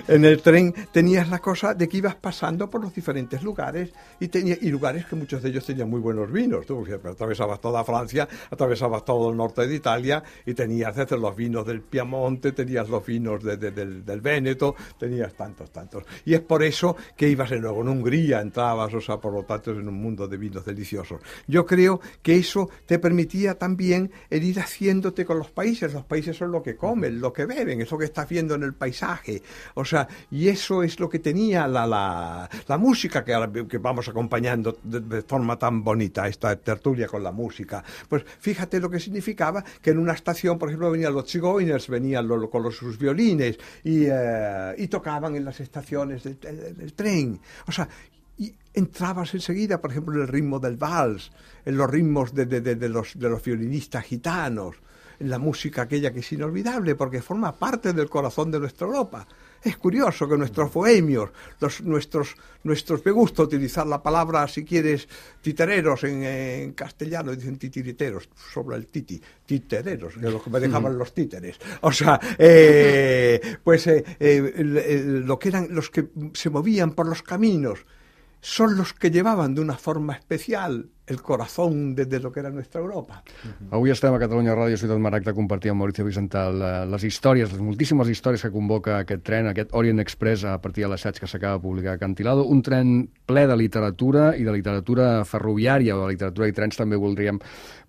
en el tren tenías la cosa de que ibas pasando por los diferentes lugares y, tenía, y lugares que muchos de ellos tenían muy buenos vinos. Tú atravesabas toda Francia, atravesabas todo el norte de Italia y tenías desde los vinos del Piamonte, tenías los vinos de, de, del, del Véneto, tenías tantos, tantos. Y es por eso que ibas luego en Hungría, entrabas, o sea, por lo tanto, en un mundo de vinos deliciosos. Yo creo que eso te permitía también el ir haciéndote con los países. Los países son lo que comen, lo que beben, es lo que estás viendo en el paisaje, o sea, y eso es lo que tenía la, la, la música que, que vamos acompañando de, de forma tan bonita, esta tertulia con la música. Pues fíjate lo que significaba que en una estación, por ejemplo, venían los Chigoiners, venían lo, con los, sus violines y, eh, y tocaban en las estaciones del, del, del tren, o sea, y entrabas enseguida, por ejemplo, en el ritmo del vals, en los ritmos de, de, de, de, los, de los violinistas gitanos, en la música aquella que es inolvidable porque forma parte del corazón de nuestra Europa. Es curioso que nuestros bohemios, los, nuestros, nuestros, me gusta utilizar la palabra, si quieres, titereros en, en castellano, dicen titiriteros, sobre el titi, titereros, que es lo que me dejaban mm. los títeres. O sea, eh, pues eh, eh, el, el, lo que eran los que se movían por los caminos, son los que llevaban de una forma especial el corazón de, de lo que era nuestra Europa. Avui estem a Catalunya Ràdio, Ciutat Marac, de compartir amb Mauricio Vicental les històries, les moltíssimes històries que convoca aquest tren, aquest Orient Express, a partir de l'assaig que s'acaba de publicar a Acantilado, un tren ple de literatura i de literatura ferroviària, o de literatura i trens també voldríem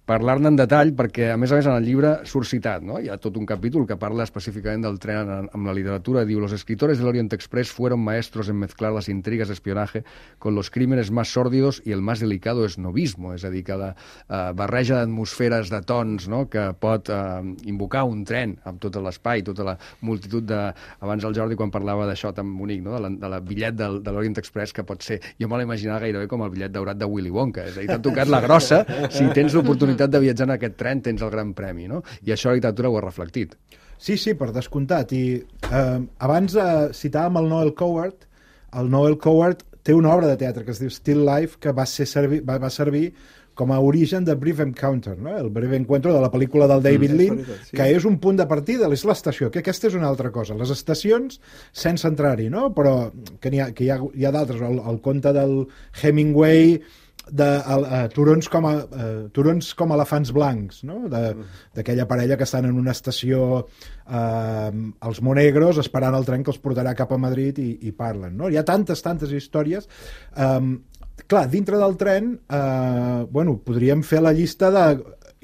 parlar-ne en detall, perquè, a més a més, en el llibre surt citat, no? Hi ha tot un capítol que parla específicament del tren amb la literatura. Diu, los escritores del Orient Express fueron maestros en mezclar las intrigas de espionaje con los crímenes más sórdidos y el más delicado esnovismo, és a dir, que la uh, barreja d'atmosferes, de tons, no?, que pot uh, invocar un tren amb tot l'espai, tota la multitud de... Abans el Jordi, quan parlava d'això tan bonic, no?, de la, de la bitllet del, de l'Orient Express, que pot ser... Jo me l'imaginava gairebé com el bitllet daurat de Willy Wonka, és a dir, t'ha tocat la grossa, si tens l'oportunitat de viatjar en aquest tren tens el gran premi, no? I això la literatura ho ha reflectit. Sí, sí, per descomptat. I eh, abans eh, citàvem el Noel Coward. El Noel Coward té una obra de teatre que es diu Still Life, que va, ser servir, va, va servir com a origen de Brief Encounter, no? El Brief Encounter de la pel·lícula del David mm, Lean, sí. Que és un punt de partida, és l'estació, que aquesta és una altra cosa. Les estacions, sense entrar-hi, no? Però que, hi ha, que hi ha, hi ha d'altres. El, el conte del Hemingway... de uh, uh, turons, com a, uh, turons com elefants blancs, no? D'aquella parella que estan en una estació uh, als Monegros esperant el tren que els portarà cap a Madrid i, i parlen, no? Hi ha tantes, tantes històries. Um, clar, dintre del tren uh, bueno, podríem fer la llista de...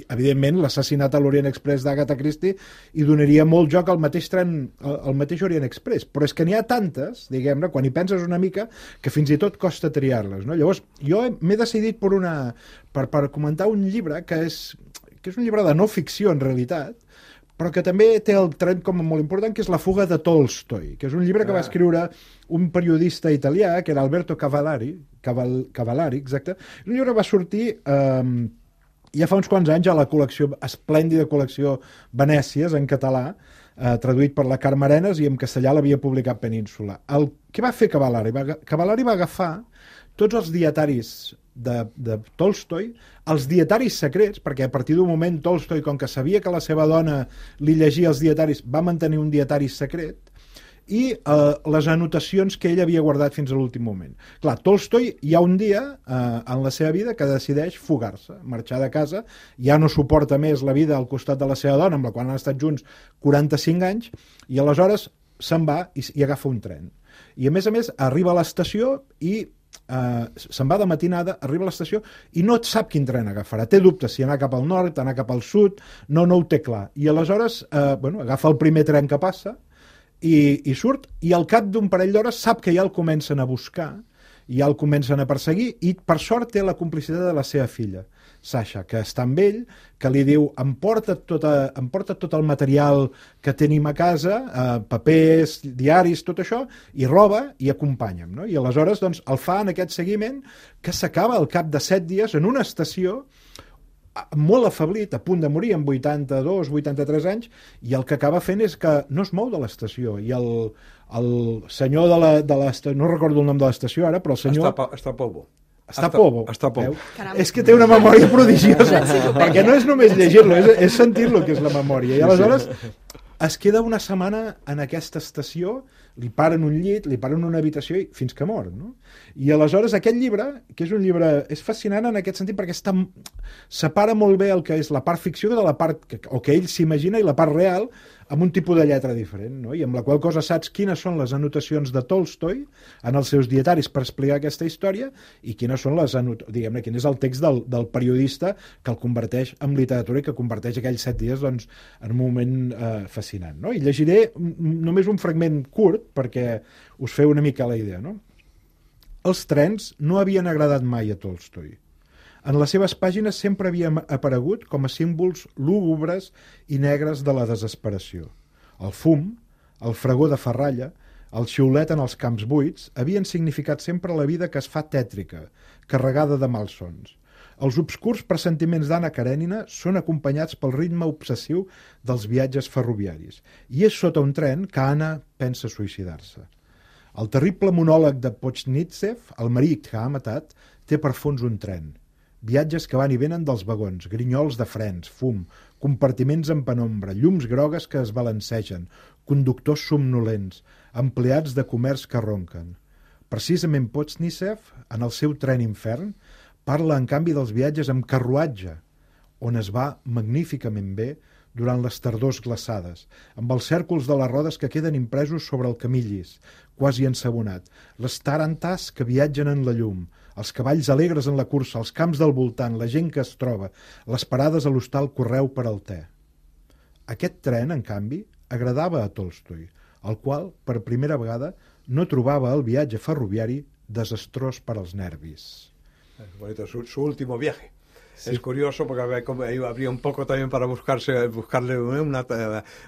Evidentment, l'assassinat a l'Orient Express d'Agatha Christie i donaria molt joc al mateix tren, al mateix Orient Express. Però és que n'hi ha tantes, diguem-ne, quan hi penses una mica, que fins i tot costa triar-les, no? Llavors, jo m'he decidit per, una, per, per comentar un llibre que és, que és un llibre de no ficció, en realitat, però que també té el tren com a molt important, que és La fuga de Tolstoi, que és un llibre que va escriure un periodista italià, que era Alberto Cavallari, Caval, Cavallari, exacte. Un llibre va sortir... Eh, ja fa uns quants anys a la col·lecció, esplèndida col·lecció Venècies, en català, eh, traduït per la Carme Arenas, i en castellà l'havia publicat Península. El que va fer Cavallari? Va, Cavallari va agafar tots els dietaris de, de Tolstoi, els dietaris secrets, perquè a partir d'un moment Tolstoi, com que sabia que la seva dona li llegia els dietaris, va mantenir un dietari secret, i eh, les anotacions que ell havia guardat fins a l'últim moment. Clar, Tolstoi hi ha un dia eh, en la seva vida que decideix fugar-se, marxar de casa, ja no suporta més la vida al costat de la seva dona, amb la qual han estat junts quaranta-cinc anys, i aleshores se'n va i, i agafa un tren. I a més a més arriba a l'estació i Uh, se'n va de matinada, arriba a l'estació i no sap quin tren agafarà, té dubtes si anar cap al nord, anar cap al sud, no, no ho té clar, i aleshores uh, bueno, agafa el primer tren que passa i, i surt, i al cap d'un parell d'hores sap que ja el comencen a buscar, ja el comencen a perseguir, i per sort té la complicitat de la seva filla, Sasha, que està amb ell, que li diu, em porta, tota, em porta tot el material que tenim a casa, eh, papers, diaris, tot això, i roba i acompanya'm, no? I aleshores doncs, el fa en aquest seguiment que s'acaba al cap de set dies en una estació molt afeblit, a punt de morir, amb vuitanta-dos, vuitanta-tres anys, i el que acaba fent és que no es mou de l'estació, i el, el senyor de l'estació, no recordo el nom de l'estació ara, però el senyor... Està, està Povo. Està Povo. Està Povo. És que té una memòria prodigiosa, perquè no és només llegir-lo, és, és sentir-lo que és la memòria. I aleshores es queda una setmana en aquesta estació, li paren un llit, li paren una habitació i fins que mor, no? I aleshores aquest llibre, que és un llibre, és fascinant en aquest sentit perquè està, separa molt bé el que és la part ficció de la part que, o que ell s'imagina i la part real amb un tipus de lletra diferent, no? I amb la qual cosa saps quines són les anotacions de Tolstoi en els seus dietaris per explicar aquesta història i quines són les anotacions, diguem-ne, quin és el text del, del periodista que el converteix en literatura i que converteix aquells set dies doncs, en un moment eh, fascinant, no? I llegiré només un fragment curt perquè us feu una mica la idea, no? Els trens no havien agradat mai a Tolstoi. En les seves pàgines sempre havien aparegut com a símbols lúgubres i negres de la desesperació. El fum, el fregor de ferralla, el xiulet en els camps buits havien significat sempre la vida que es fa tètrica, carregada de malsons. Els obscurs pressentiments d'Anna Karenina són acompanyats pel ritme obsessiu dels viatges ferroviaris, i és sota un tren que Anna pensa suïcidar-se. El terrible monòleg de Pochnitzev, el marit que ha matat, té per fons un tren. Viatges que van i venen dels vagons, grinyols de frens, fum, compartiments en penombra, llums grogues que es balancegen, conductors somnolents, empleats de comerç que ronquen. Precisament Pochnitzev, en el seu tren infern, Parla, en canvi, dels viatges amb carruatge, on es va magníficament bé durant les tardors glaçades, amb els cèrcols de les rodes que queden impresos sobre el camí llis, quasi ensabonat, les tarantas que viatgen en la llum, els cavalls alegres en la cursa, els camps del voltant, la gent que es troba, les parades a l'hostal Correu per al te. Aquest tren, en canvi, agradava a Tolstoi, el qual, per primera vegada, no trobava el viatge ferroviari desastrós per als nervis. Es bonito, su, su último viaje. Sí. Es curioso porque había, habría un poco también para buscarse, buscarle una,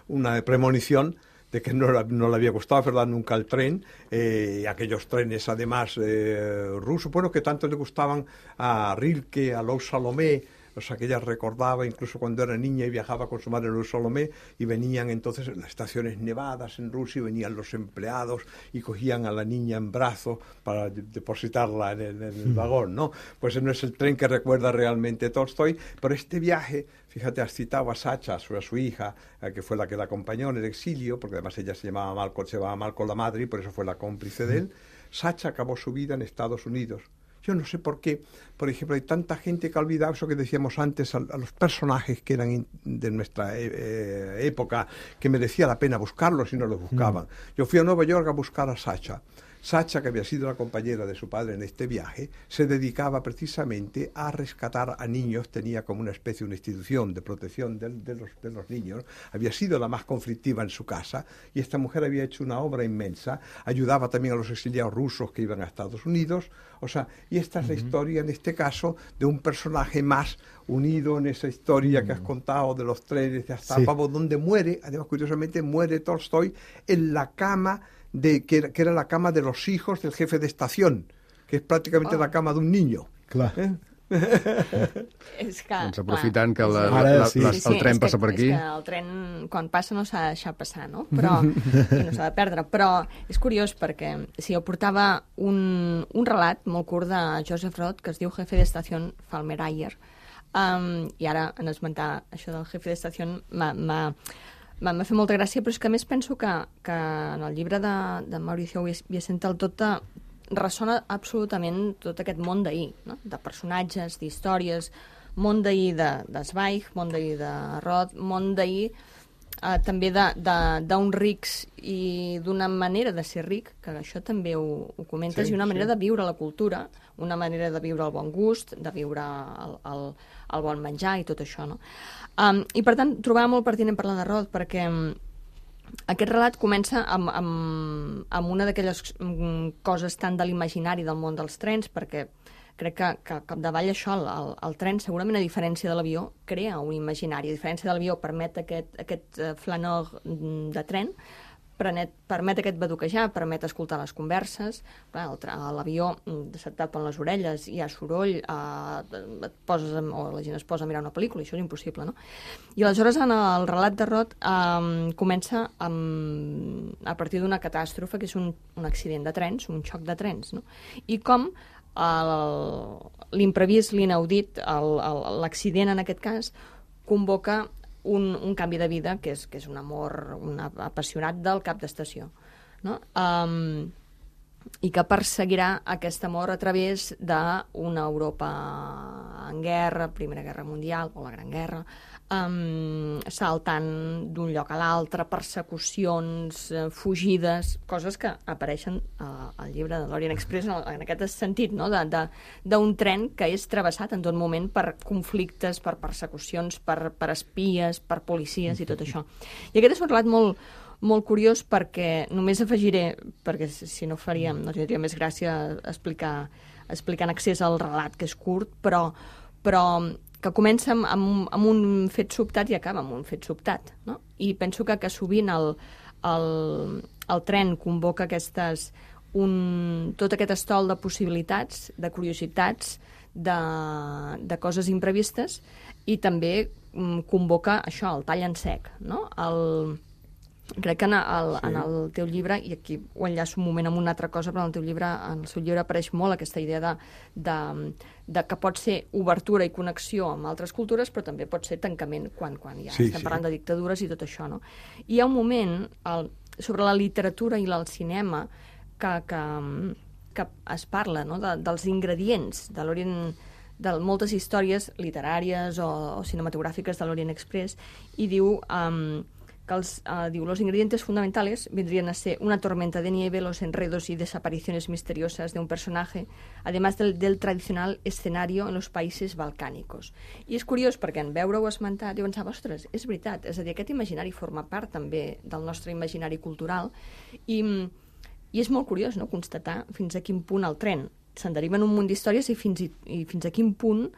una premonición de que no, no le había gustado, ¿verdad?, nunca el tren, eh, aquellos trenes además eh, rusos, bueno, que tanto le gustaban a Rilke, a Lous Salomé, o sea, que ella recordaba incluso cuando era niña y viajaba con su madre Lous Salomé, y venían entonces en las estaciones nevadas en Rusia, y venían los empleados y cogían a la niña en brazos para depositarla en el, en el vagón, ¿no? Pues no es el tren que recuerda realmente Tolstoi, pero este viaje, fíjate, has citado a Sacha, a su, a su hija, eh, que fue la que la acompañó en el exilio, porque además ella se llamaba Malcolm, se llamaba Malcolm la madre, y por eso fue la cómplice de él. Sacha acabó su vida en Estados Unidos. Yo no sé por qué, por ejemplo, hay tanta gente que ha olvidado eso que decíamos antes, a, a los personajes que eran in, de nuestra eh, época, que merecía la pena buscarlos y no los buscaban. Mm. Yo fui a Nueva York a buscar a Sacha. Sacha, que había sido la compañera de su padre en este viaje, se dedicaba precisamente a rescatar a niños, tenía como una especie, una institución de protección de, de, los, de los niños, había sido la más conflictiva en su casa, y esta mujer había hecho una obra inmensa, ayudaba también a los exiliados rusos que iban a Estados Unidos, o sea, y esta es la historia, en este caso, de un personaje más unido en esa historia que has contado de los trenes de Astapavo, sí, donde muere, además, curiosamente, muere Tolstoi en la cama de que era, que era la cama de los hijos del jefe de estación, que és pràcticament oh. la cama d'un niño. Clar. Eh? És que, doncs aprofitant que la, Ara, la, sí. la, sí, sí, el tren és passa que, per aquí... És que el tren, quan passa, no s'ha de deixar passar, no? Però, i no s'ha de perdre. Però és curiós perquè si jo portava un, un relat molt curt de Joseph Roth que es diu Jefe d'Estació Falmerayer, um, i ara en esmentar això del Jefe d'Estació m'ha... M'ha fet molta gràcia, però és que a més penso que, que en el llibre de, de Mauricio Vicente el tot ressona absolutament tot aquest món d'ahir, no? De personatges, d'històries, món d'ahir de, de Zweig, món d'ahir de Roth, món d'ahir eh, també d'uns rics i d'una manera de ser ric, que això també ho, ho comentes, sí, i una manera sí. de viure la cultura, una manera de viure el bon gust, de viure el, el, el bon menjar i tot això, no? Um, I, per tant, trobava molt pertinent parlar de Roth perquè um, aquest relat comença amb, amb, amb una d'aquelles um, coses tan de l'imaginari del món dels trens, perquè crec que, que capdavall això, el, el, el tren, segurament a diferència de l'avió, crea un imaginari. A diferència de l'avió, permet aquest, aquest uh, flanor de tren, permet, permet aquest baduquejar, permet escoltar les converses. Clar, a l'avió se't tapen les orelles, hi ha soroll, eh, et poses, o la gent es posa a mirar una pel·lícula, i això és impossible, no? I aleshores en el relat de Roth eh, comença amb, a partir d'una catàstrofe, que és un, un accident de trens, un xoc de trens, no? I com l'imprevist, l'inaudit, l'accident en aquest cas, convoca Un, un canvi de vida, que és, que és un amor un apassionat del cap d'estació, no? Um, i que perseguirà aquest amor a través d'una Europa en guerra, Primera Guerra Mundial o la Gran Guerra, um, saltant d'un lloc a l'altre, persecucions, uh, fugides, coses que apareixen uh, al llibre de l'Orient Express en, en aquest sentit, no? D'un tren que és travessat en tot moment per conflictes, per persecucions, per, per espies, per policies i tot això. I aquest és un relat molt, molt curiós perquè només afegiré, perquè si no faríem, no tindria més gràcia explicar, explicar en accés al relat, que és curt, però, però que comença amb, amb, amb un fet sobtat i acaba amb un fet sobtat, no? I penso que, que sovint el, el, el tren convoca aquestes, un, tot aquest estol de possibilitats, de curiositats, de, de coses imprevistes, i també um, convoca això, el tall en sec, no? El... Crec que en el, sí. en el teu llibre, i aquí ho enllaço un moment amb una altra cosa, però en el teu llibre, en el seu llibre apareix molt aquesta idea de, de, de que pot ser obertura i connexió amb altres cultures, però també pot ser tancament quan, quan ja sí, estem sí. parlant de dictadures i tot això, no? I hi ha un moment el, sobre la literatura i el cinema que, que, que es parla, no? de, dels ingredients de l'Orient de moltes històries literàries o, o cinematogràfiques de l'Orient Express, i diu... Um, que els, uh, diu, los ingredientes fundamentales vendrían a ser una tormenta de nieve, los enredos y desapariciones misteriosas de un personaje, además del, del tradicional escenario en los países balcànicos. I és curiós perquè en veure-ho esmentat jo pensava, ostres, és veritat, és a dir, aquest imaginari forma part també del nostre imaginari cultural i, i és molt curiós, no?, constatar fins a quin punt el tren se'n deriven un munt d'històries i fins, i, i fins a quin punt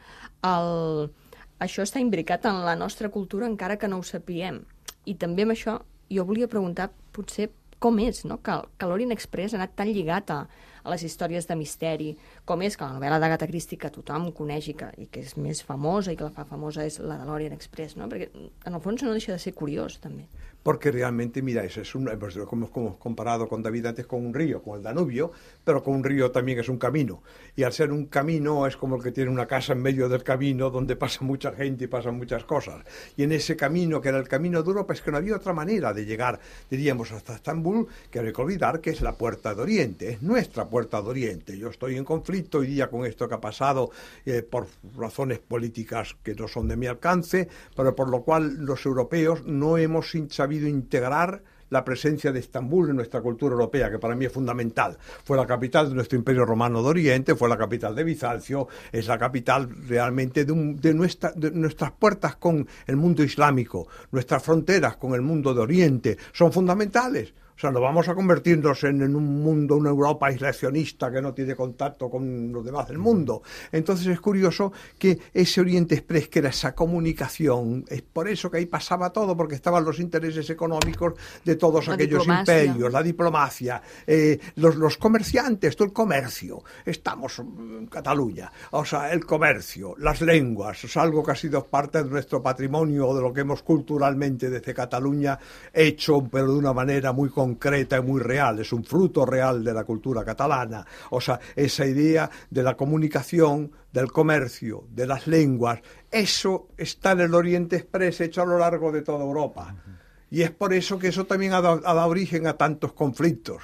el, això està imbricat en la nostra cultura encara que no ho sapiguem. I també amb això jo volia preguntar potser com és, no?, que, que l'Orient Express ha anat tan lligat a, a les històries de misteri, com és que la novel·la d'Agatha Christie que tothom coneix i que, i que és més famosa i que la fa famosa és la de l'Orient Express, no? Perquè en el fons no deixa de ser curiós també. Porque realmente, mira, eso es un, como hemos comparado con David antes con un río, con el Danubio, pero con un río también es un camino. Y al ser un camino es como el que tiene una casa en medio del camino donde pasa mucha gente y pasan muchas cosas. Y en ese camino, que era el camino de Europa, es que no había otra manera de llegar, diríamos, hasta Estambul, que hay que olvidar que es la puerta de Oriente, es nuestra puerta de Oriente. Yo estoy en conflicto hoy día con esto que ha pasado eh, por razones políticas que no son de mi alcance, pero por lo cual los europeos no hemos sabido integrar la presencia de Estambul en nuestra cultura europea, que para mí es fundamental. Fue la capital de nuestro Imperio Romano de Oriente, fue la capital de Bizancio, es la capital realmente de, un, de, nuestra, de nuestras puertas con el mundo islámico, nuestras fronteras con el mundo de Oriente, son fundamentales. O sea, no vamos a convertirnos en, en un mundo, una Europa aislacionista que no tiene contacto con los demás del mundo. Entonces es curioso que ese Oriente Express, que era esa comunicación, es por eso que ahí pasaba todo, porque estaban los intereses económicos de todos la aquellos diplomacia. imperios, la diplomacia, eh, los, los comerciantes, todo el comercio. Estamos en Cataluña, o sea, el comercio, las lenguas, es algo que ha sido parte de nuestro patrimonio, de lo que hemos culturalmente desde Cataluña hecho, pero de una manera muy concreta. concreta y muy real, es un fruto real de la cultura catalana, o sea, esa idea de la comunicación, del comercio, de las lenguas, eso está en el Oriente Express hecho a lo largo de toda Europa, y es por eso que eso también ha dado, ha dado origen a tantos conflictos,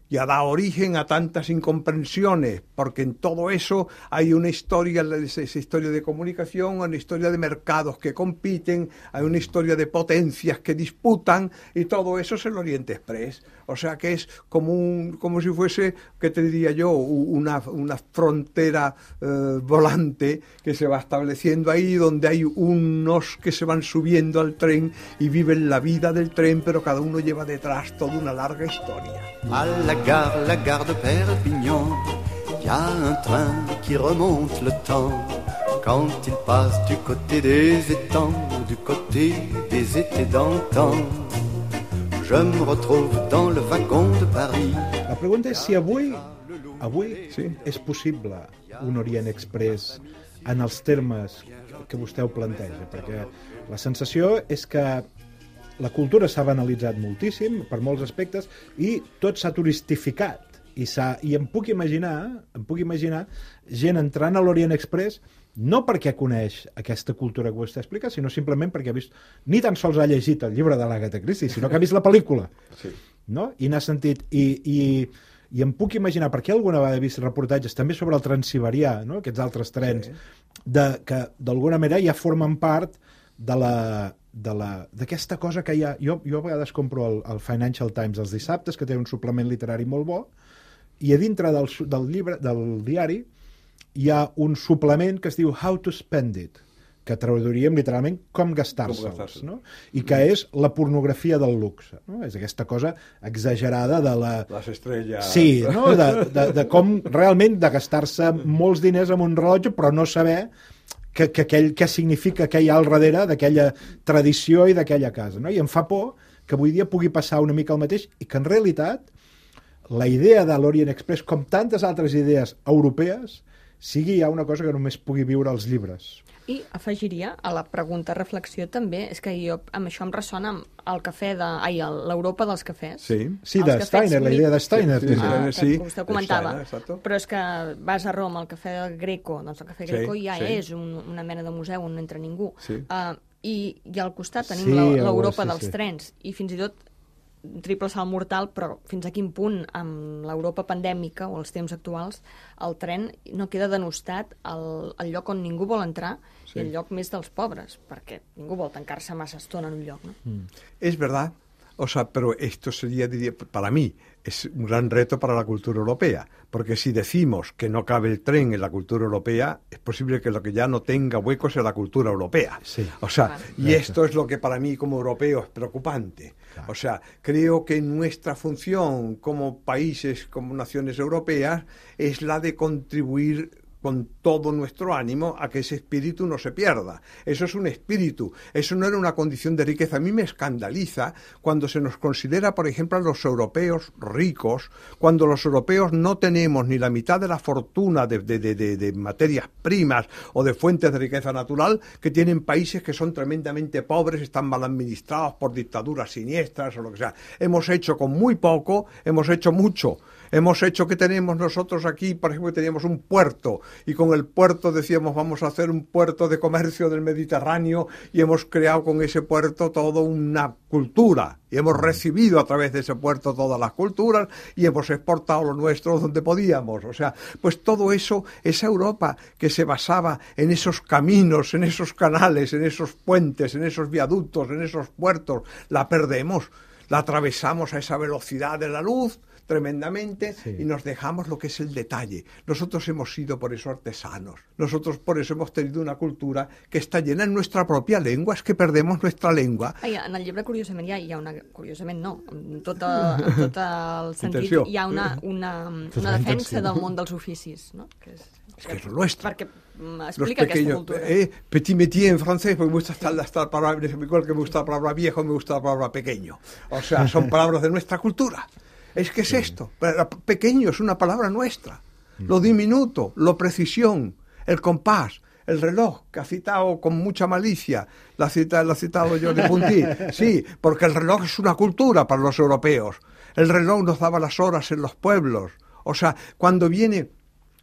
y ha dado origen a tantas incomprensiones, porque en todo eso hay una historia, esa historia de comunicación, una historia de mercados que compiten, hay una historia de potencias que disputan, y todo eso es el Oriente Express. O sea que es como un, como si fuese, ¿qué te diría yo?, una, una frontera eh, volante que se va estableciendo ahí, donde hay unos que se van subiendo al tren y viven la vida del tren, pero cada uno lleva detrás toda una larga historia. À la gare, la gare de Perpignan, y a un train qui remonte le temps. Quand il passe du côté des étangs, du côté des étés d'antan, je me retrouve dans le wagon de Paris. La pregunta és si avui, avui sí. és possible un Orient Express en els termes que vostè ho planteja, perquè la sensació és que la cultura s'ha banalitzat moltíssim per molts aspectes i tot s'ha turistificat i, i em puc imaginar em puc imaginar gent entrant a l'Orient Express no perquè coneix aquesta cultura que vostè explica, sinó simplement perquè ha vist, ni tan sols ha llegit el llibre de l'Agatha Christie, sinó que ha vist la pel·lícula, sí. no? I n'ha sentit i, i, i em puc imaginar, perquè alguna vegada he vist reportatges també sobre el Transsiberià, no? Aquests altres trens, sí. de, que d'alguna manera ja formen part de la d'aquesta cosa que hi ha... Jo, jo a vegades compro el, el Financial Times els dissabtes, que té un suplement literari molt bo, i a dintre del, del llibre, del diari, hi ha un suplement que es diu How to Spend It, que traduiríem literalment com gastar-se'ls, gastar no? I que és la pornografia del luxe, no? És aquesta cosa exagerada de la... Les estrelles... Sí, no? de, de, de com realment de gastar-se molts diners en un rellotge, però no saber que, que aquell, què significa que hi ha al darrere d'aquella tradició i d'aquella casa, no? I em fa por que avui dia pugui passar una mica el mateix i que en realitat la idea de l'Orient Express, com tantes altres idees europees, sigui ja una cosa que només pugui viure als llibres. I afegiria a la pregunta reflexió també, és que jo amb això em ressona amb el cafè de... Ai, l'Europa dels cafès. Sí, sí de Steiner, la idea de Steiner. Sí, sí, ah, que sí, vostè ho comentava. Steiner, però és que vas a Roma, al cafè del Greco, doncs el cafè Greco sí, ja sí. és un, una mena de museu on no entra ningú. Sí. Uh, i, I al costat tenim sí, l'Europa sí, dels sí. trens, i fins i tot un triple salt mortal, però fins a quin punt, amb l'Europa pandèmica o els temps actuals, el tren no queda denostat el, el lloc on ningú vol entrar sí. i el lloc més dels pobres, perquè ningú vol tancar-se massa estona en un lloc, no? Mm. Es verdad, o sea, pero esto sería, diría, para mí, es un gran reto para la cultura europea, porque si decimos que no cabe el tren en la cultura europea, es posible que lo que ya no tenga huecos en la cultura europea. Sí. O sea, claro. y esto es lo que para mí como europeo es preocupante. Claro. O sea, creo que nuestra función como países, como naciones europeas, es la de contribuir con todo nuestro ánimo a que ese espíritu no se pierda. Eso es un espíritu, eso no era una condición de riqueza. A mí me escandaliza cuando se nos considera, por ejemplo, a los europeos ricos, cuando los europeos no tenemos ni la mitad de la fortuna de, de, de, de, de materias primas o de fuentes de riqueza natural que tienen países que son tremendamente pobres, están mal administrados por dictaduras siniestras o lo que sea. Hemos hecho con muy poco, hemos hecho mucho. Hemos hecho que tenemos nosotros aquí, por ejemplo, que teníamos un puerto y con el puerto decíamos vamos a hacer un puerto de comercio del Mediterráneo y hemos creado con ese puerto toda una cultura y hemos recibido a través de ese puerto todas las culturas y hemos exportado lo nuestro donde podíamos. O sea, pues todo eso, esa Europa que se basaba en esos caminos, en esos canales, en esos puentes, en esos viaductos, en esos puertos, la perdemos, la atravesamos a esa velocidad de la luz tremendamente sí. y nos dejamos lo que es el detalle. Nosotros hemos sido por eso artesanos. Nosotros por eso hemos tenido una cultura que está llena en nuestra propia lengua. Es que perdemos nuestra lengua. Ai, en el llibre, curiosament, hi ha, hi ha una... Curiosament no, en tot, en tot el sentit intenció. Hi ha una, una, una defensa del món dels oficis, no? Que és, es que es lo nuestro. Perquè explica aquesta cultura. Eh, petit métier en francés, porque me gusta estar, estar palabra, igual que me gusta la palabra viejo, me gusta la palabra pequeño. O sea, son palabras de nuestra cultura. Es que es sí. esto, pequeño es una palabra nuestra, lo diminuto, lo precisión, el compás, el reloj, que ha citado con mucha malicia, lo ha citado, lo ha citado Jordi Puntí, sí, porque el reloj es una cultura para los europeos, el reloj nos daba las horas en los pueblos, o sea, cuando viene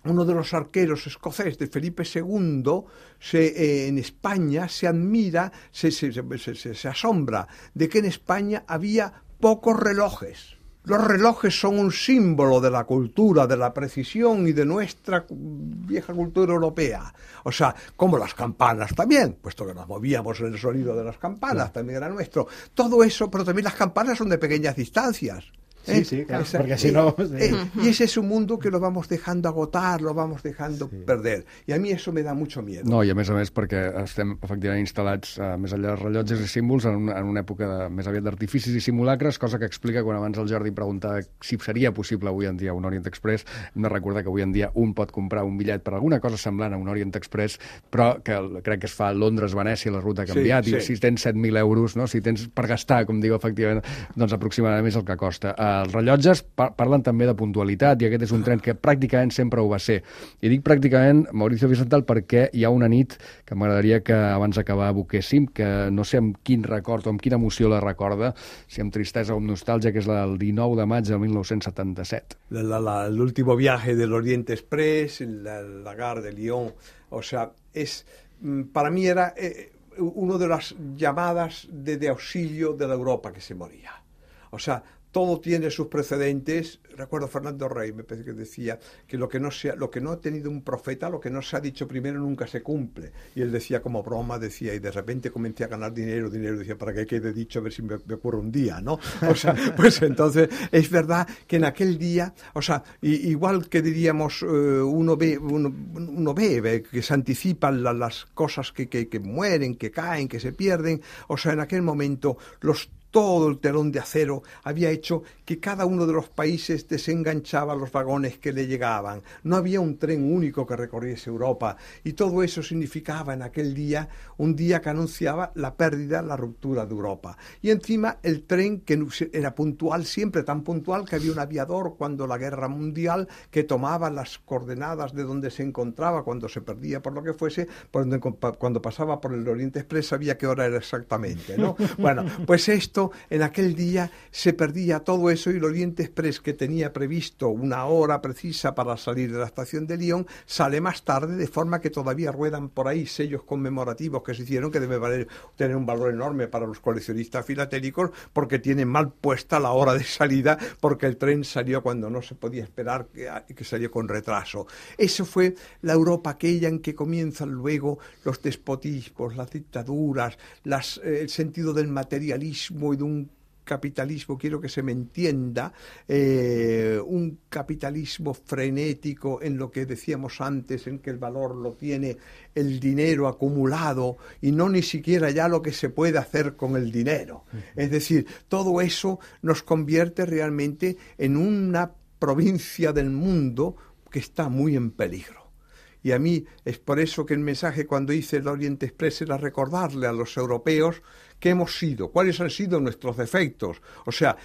uno de los arqueros escoceses de Felipe segundo, se, eh, en España se admira, se, se, se, se, se asombra de que en España había pocos relojes. Los relojes son un símbolo de la cultura, de la precisión y de nuestra vieja cultura europea. O sea, como las campanas también, puesto que nos movíamos en el sonido de las campanas, también era nuestro. Todo eso, pero también las campanas son de pequeñas distancias. Sí, ¿Eh? sí, claro, porque si no... Eh, eh, y ese es un mundo que lo vamos dejando agotar, lo vamos dejando sí. perder. I a mi això me da mucho miedo. No, i a més a més perquè estem efectivament instal·lats uh, més enllà dels rellotges i símbols en una, en una època de, més aviat d'artificis i simulacres, cosa que explica quan abans el Jordi preguntava si seria possible avui en dia un Orient Express. Hem de recordar que avui en dia un pot comprar un bitllet per alguna cosa semblant a un Orient Express, però que el, crec que es fa a Londres-Venècia, la ruta ha canviat, sí, sí. i si tens set mil euros, no? Si tens per gastar, com diu efectivament, doncs aproximadament és el que costa. Uh, els rellotges parlen també de puntualitat i aquest és un tren que pràcticament sempre ho va ser. I dic pràcticament, Mauricio Vicental, perquè hi ha una nit que m'agradaria que abans d'acabar evoquéssim, que no sé amb quin record o amb quina emoció la recorda, si amb tristesa o amb nostàlgia, que és la del dinou de maig de mil nou-cents setanta-set. L'último viaje del Orient Express, la, la gare de Lyon, o sea, es, para mí era eh, una de las llamadas de, de auxilio de la Europa que se moría. O sea, todo tiene sus precedentes. Recuerdo Fernando Rey, me parece que decía que lo que no sea, lo que no ha tenido un profeta, lo que no se ha dicho primero nunca se cumple. Y él decía como broma, decía, y de repente comencé a ganar dinero, dinero, decía, para que quede dicho, a ver si me, me ocurre un día, ¿no? O sea, pues entonces es verdad que en aquel día, o sea, y, igual que diríamos, eh, uno ve, uno, uno ve, ve que se anticipan la, las cosas que, que, que mueren, que caen, que se pierden, o sea, en aquel momento los todo el telón de acero había hecho que cada uno de los países desenganchaba los vagones que le llegaban. No había un tren único que recorriese Europa y todo eso significaba en aquel día un día que anunciaba la pérdida, la ruptura de Europa. Y encima el tren que era puntual, siempre tan puntual que había un aviador cuando la guerra mundial que tomaba las coordenadas de donde se encontraba cuando se perdía por lo que fuese, cuando pasaba por el Orient Express sabía qué hora era exactamente, ¿no? Bueno, pues esto eso, en aquel día se perdía todo eso y el Oriente Express, que tenía previsto una hora precisa para salir de la estación de Lyon, sale más tarde, de forma que todavía ruedan por ahí sellos conmemorativos que se hicieron, que debe valer, tener un valor enorme para los coleccionistas filatélicos, porque tienen mal puesta la hora de salida, porque el tren salió cuando no se podía esperar, que, que salió con retraso. Eso fue la Europa aquella en que comienzan luego los despotismos, las dictaduras, las, eh, el sentido del materialismo y de un capitalismo, quiero que se me entienda, eh, un capitalismo frenético en lo que decíamos antes, en que el valor lo tiene el dinero acumulado y no ni siquiera ya lo que se puede hacer con el dinero. Uh-huh. Es decir, todo eso nos convierte realmente en una provincia del mundo que está muy en peligro. Y a mí es por eso que el mensaje cuando hice el Oriente Express era recordarle a los europeos qué hemos sido, cuáles han sido nuestros defectos, o sea,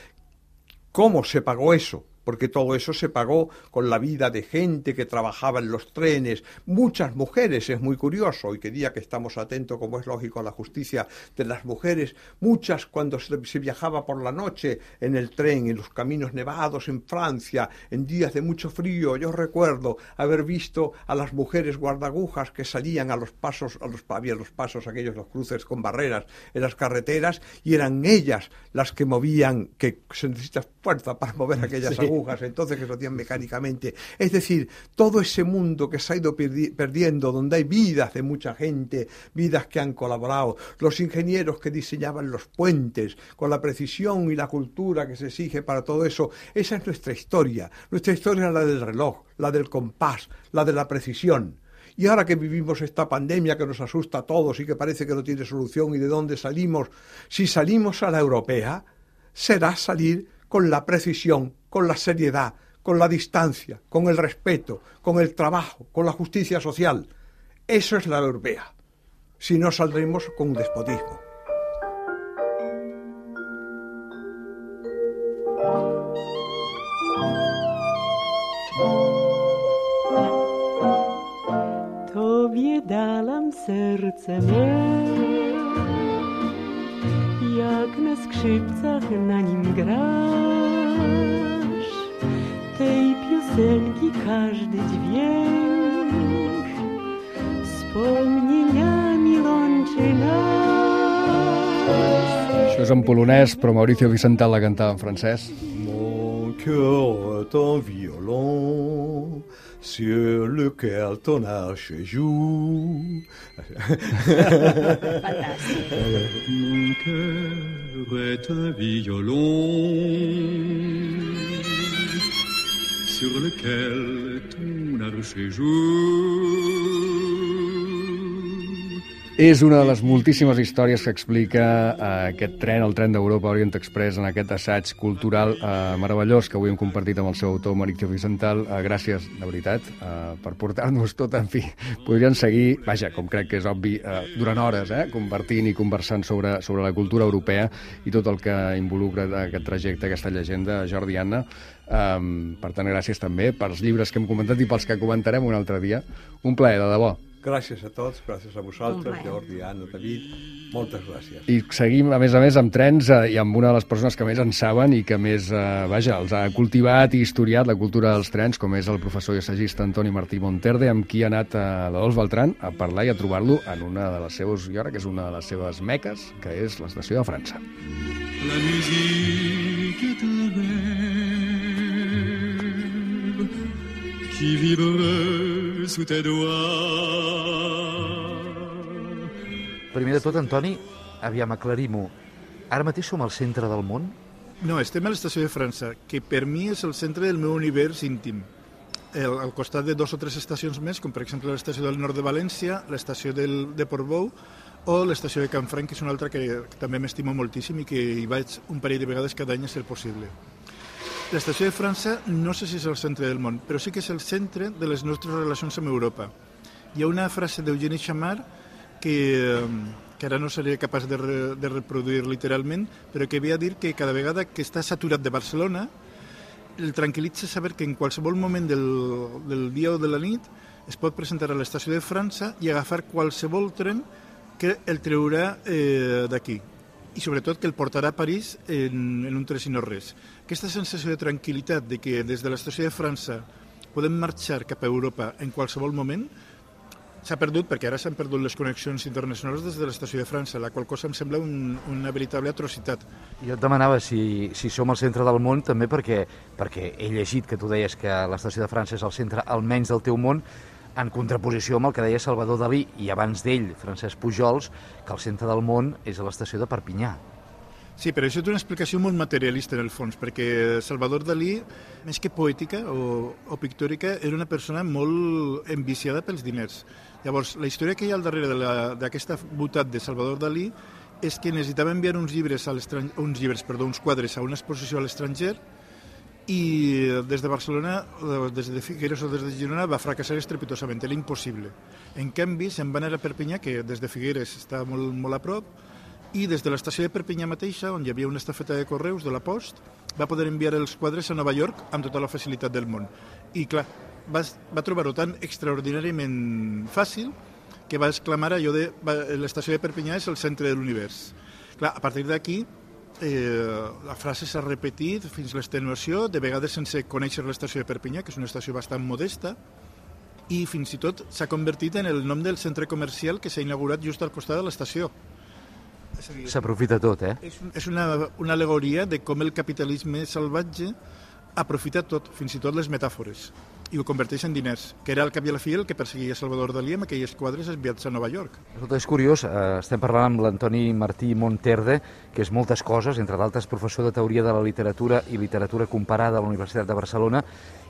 cómo se pagó eso. Porque todo eso se pagó con la vida de gente que trabajaba en los trenes, muchas mujeres, es muy curioso, y que día que estamos atentos, como es lógico, a la justicia de las mujeres, muchas cuando se, se viajaba por la noche en el tren, en los caminos nevados en Francia, en días de mucho frío, yo recuerdo haber visto a las mujeres guardagujas que salían a los pasos, a los, había los pasos aquellos, los cruces con barreras en las carreteras, y eran ellas las que movían, que se necesita fuerza para mover aquellas sí. agujas, entonces que se hacían mecánicamente. Es decir, todo ese mundo que se ha ido perdi- perdiendo, donde hay vidas de mucha gente, vidas que han colaborado, los ingenieros que diseñaban los puentes, con la precisión y la cultura que se exige para todo eso, esa es nuestra historia. Nuestra historia es la del reloj, la del compás, la de la precisión. Y ahora que vivimos esta pandemia que nos asusta a todos y que parece que no tiene solución, y de dónde salimos, si salimos a la europea, será salir con la precisión, con la seriedad, con la distancia, con el respeto, con el trabajo, con la justicia social. Eso es la europea. Si no, saldremos con un despotismo. Tobie dalam serce me, jak na skrzypcach na nim grasz, tej piosenki każdy dźwięk wspomnieniami łączy nas. Això és en polonès, però Mauricio Vicental la cantava en francès. Mon cœur est un violon sur lequel ton arche joue. Fantàstic. Mon cœur est un violon sur lequel ton arche joue. És una de les moltíssimes històries que explica eh, aquest tren, el tren d'Europa Orient Express, en aquest assaig cultural eh, meravellós que avui hem compartit amb el seu autor, Mauricio Vicental. Eh, gràcies, de veritat, eh, per portar-nos tot. En fi, podrien seguir, vaja, com crec que és obvi, eh, durant hores, eh, compartint i conversant sobre, sobre la cultura europea i tot el que involucra aquest trajecte, aquesta llegenda, Jordi, Anna. Um, per tant, gràcies també pels llibres que hem comentat i pels que comentarem un altre dia. Un plaer, de debò. Gràcies a tots, gràcies a vosaltres, Jordi, Anna, David, moltes gràcies. I seguim, a més a més, amb trens eh, i amb una de les persones que més en saben i que més, eh, vaja, els ha cultivat i historiat la cultura dels trens, com és el professor i assagista Antoni Martí Monterde, amb qui ha anat a l'Adolf Beltrán a parlar i a trobar-lo en una de les seves, jo crec que és una de les seves meques, que és l'estació de França. La musique est un rêve qui vibre sous tes doigts. Primer de tot, Antoni, aviam, aclarim-ho. Ara mateix som al centre del món? No, estem a l'estació de França, que per mi és el centre del meu univers íntim. El, al costat de dos o tres estacions més, com per exemple l'estació del nord de València, l'estació del, de Portbou o l'estació de Canfranc, que és una altra que, que també m'estimo moltíssim i que hi vaig un parell de vegades cada any a ser possible. L'estació de França no sé si és el centre del món, però sí que és el centre de les nostres relacions amb Europa. Hi ha una frase d'Eugeni Chamard que, que ara no seré capaç de, re, de reproduir literalment, però que ve a dir que cada vegada que està saturat de Barcelona, el tranquil·litza saber que en qualsevol moment del, del dia o de la nit es pot presentar a l'estació de França i agafar qualsevol tren que el treurà eh, d'aquí. i sobretot que el portarà a París en, en un tres i no res. Aquesta sensació de tranquil·litat de que des de l'estació de França podem marxar cap a Europa en qualsevol moment s'ha perdut, perquè ara s'han perdut les connexions internacionals des de l'estació de França, la qual cosa em sembla un, una veritable atrocitat. Jo et demanava si, si som al centre del món també perquè, perquè he llegit que tu deies que l'estació de França és el centre almenys del teu món, en contraposició amb el que deia Salvador Dalí i abans d'ell, Francesc Pujols, que el centre del món és a l'estació de Perpinyà. Sí, però això té una explicació molt materialista en el fons, perquè Salvador Dalí, més que poètica o, o pictòrica, era una persona molt enviciada pels diners. Llavors, la història que hi ha al darrere d'aquesta botat de Salvador Dalí és que necessitava enviar uns llibres, a uns llibres, perdó, uns quadres a una exposició a l'estranger i des de Barcelona, des de Figueres o des de Girona, va fracassar estrepitosament, era impossible. En canvi, se'n va anar a Perpinyà, que des de Figueres està molt, molt a prop, i des de l'estació de Perpinyà mateixa, on hi havia una estafeta de correus de la Post, va poder enviar els quadres a Nova York amb tota la facilitat del món. I clar, va, va trobar-ho tan extraordinàriament fàcil que va exclamar allò de l'estació de Perpinyà és el centre de l'univers. Clar, a partir d'aquí, eh, la frase s'ha repetit fins l'extenuació, de vegades sense conèixer l'estació de Perpinyà, que és una estació bastant modesta, i fins i tot s'ha convertit en el nom del centre comercial que s'ha inaugurat just al costat de l'estació. S'aprofita tot, eh? És, és una, una alegoria de com el capitalisme salvatge aprofita tot, fins i tot les metàfores, i ho converteix en diners, que era al cap i a la fi el que perseguia Salvador Dalí amb aquelles quadres enviats a Nova York. Escolta, és curiós, eh, estem parlant amb l'Antoni Martí Monterde, que és moltes coses, entre d'altres professor de Teoria de la Literatura i Literatura Comparada a la Universitat de Barcelona,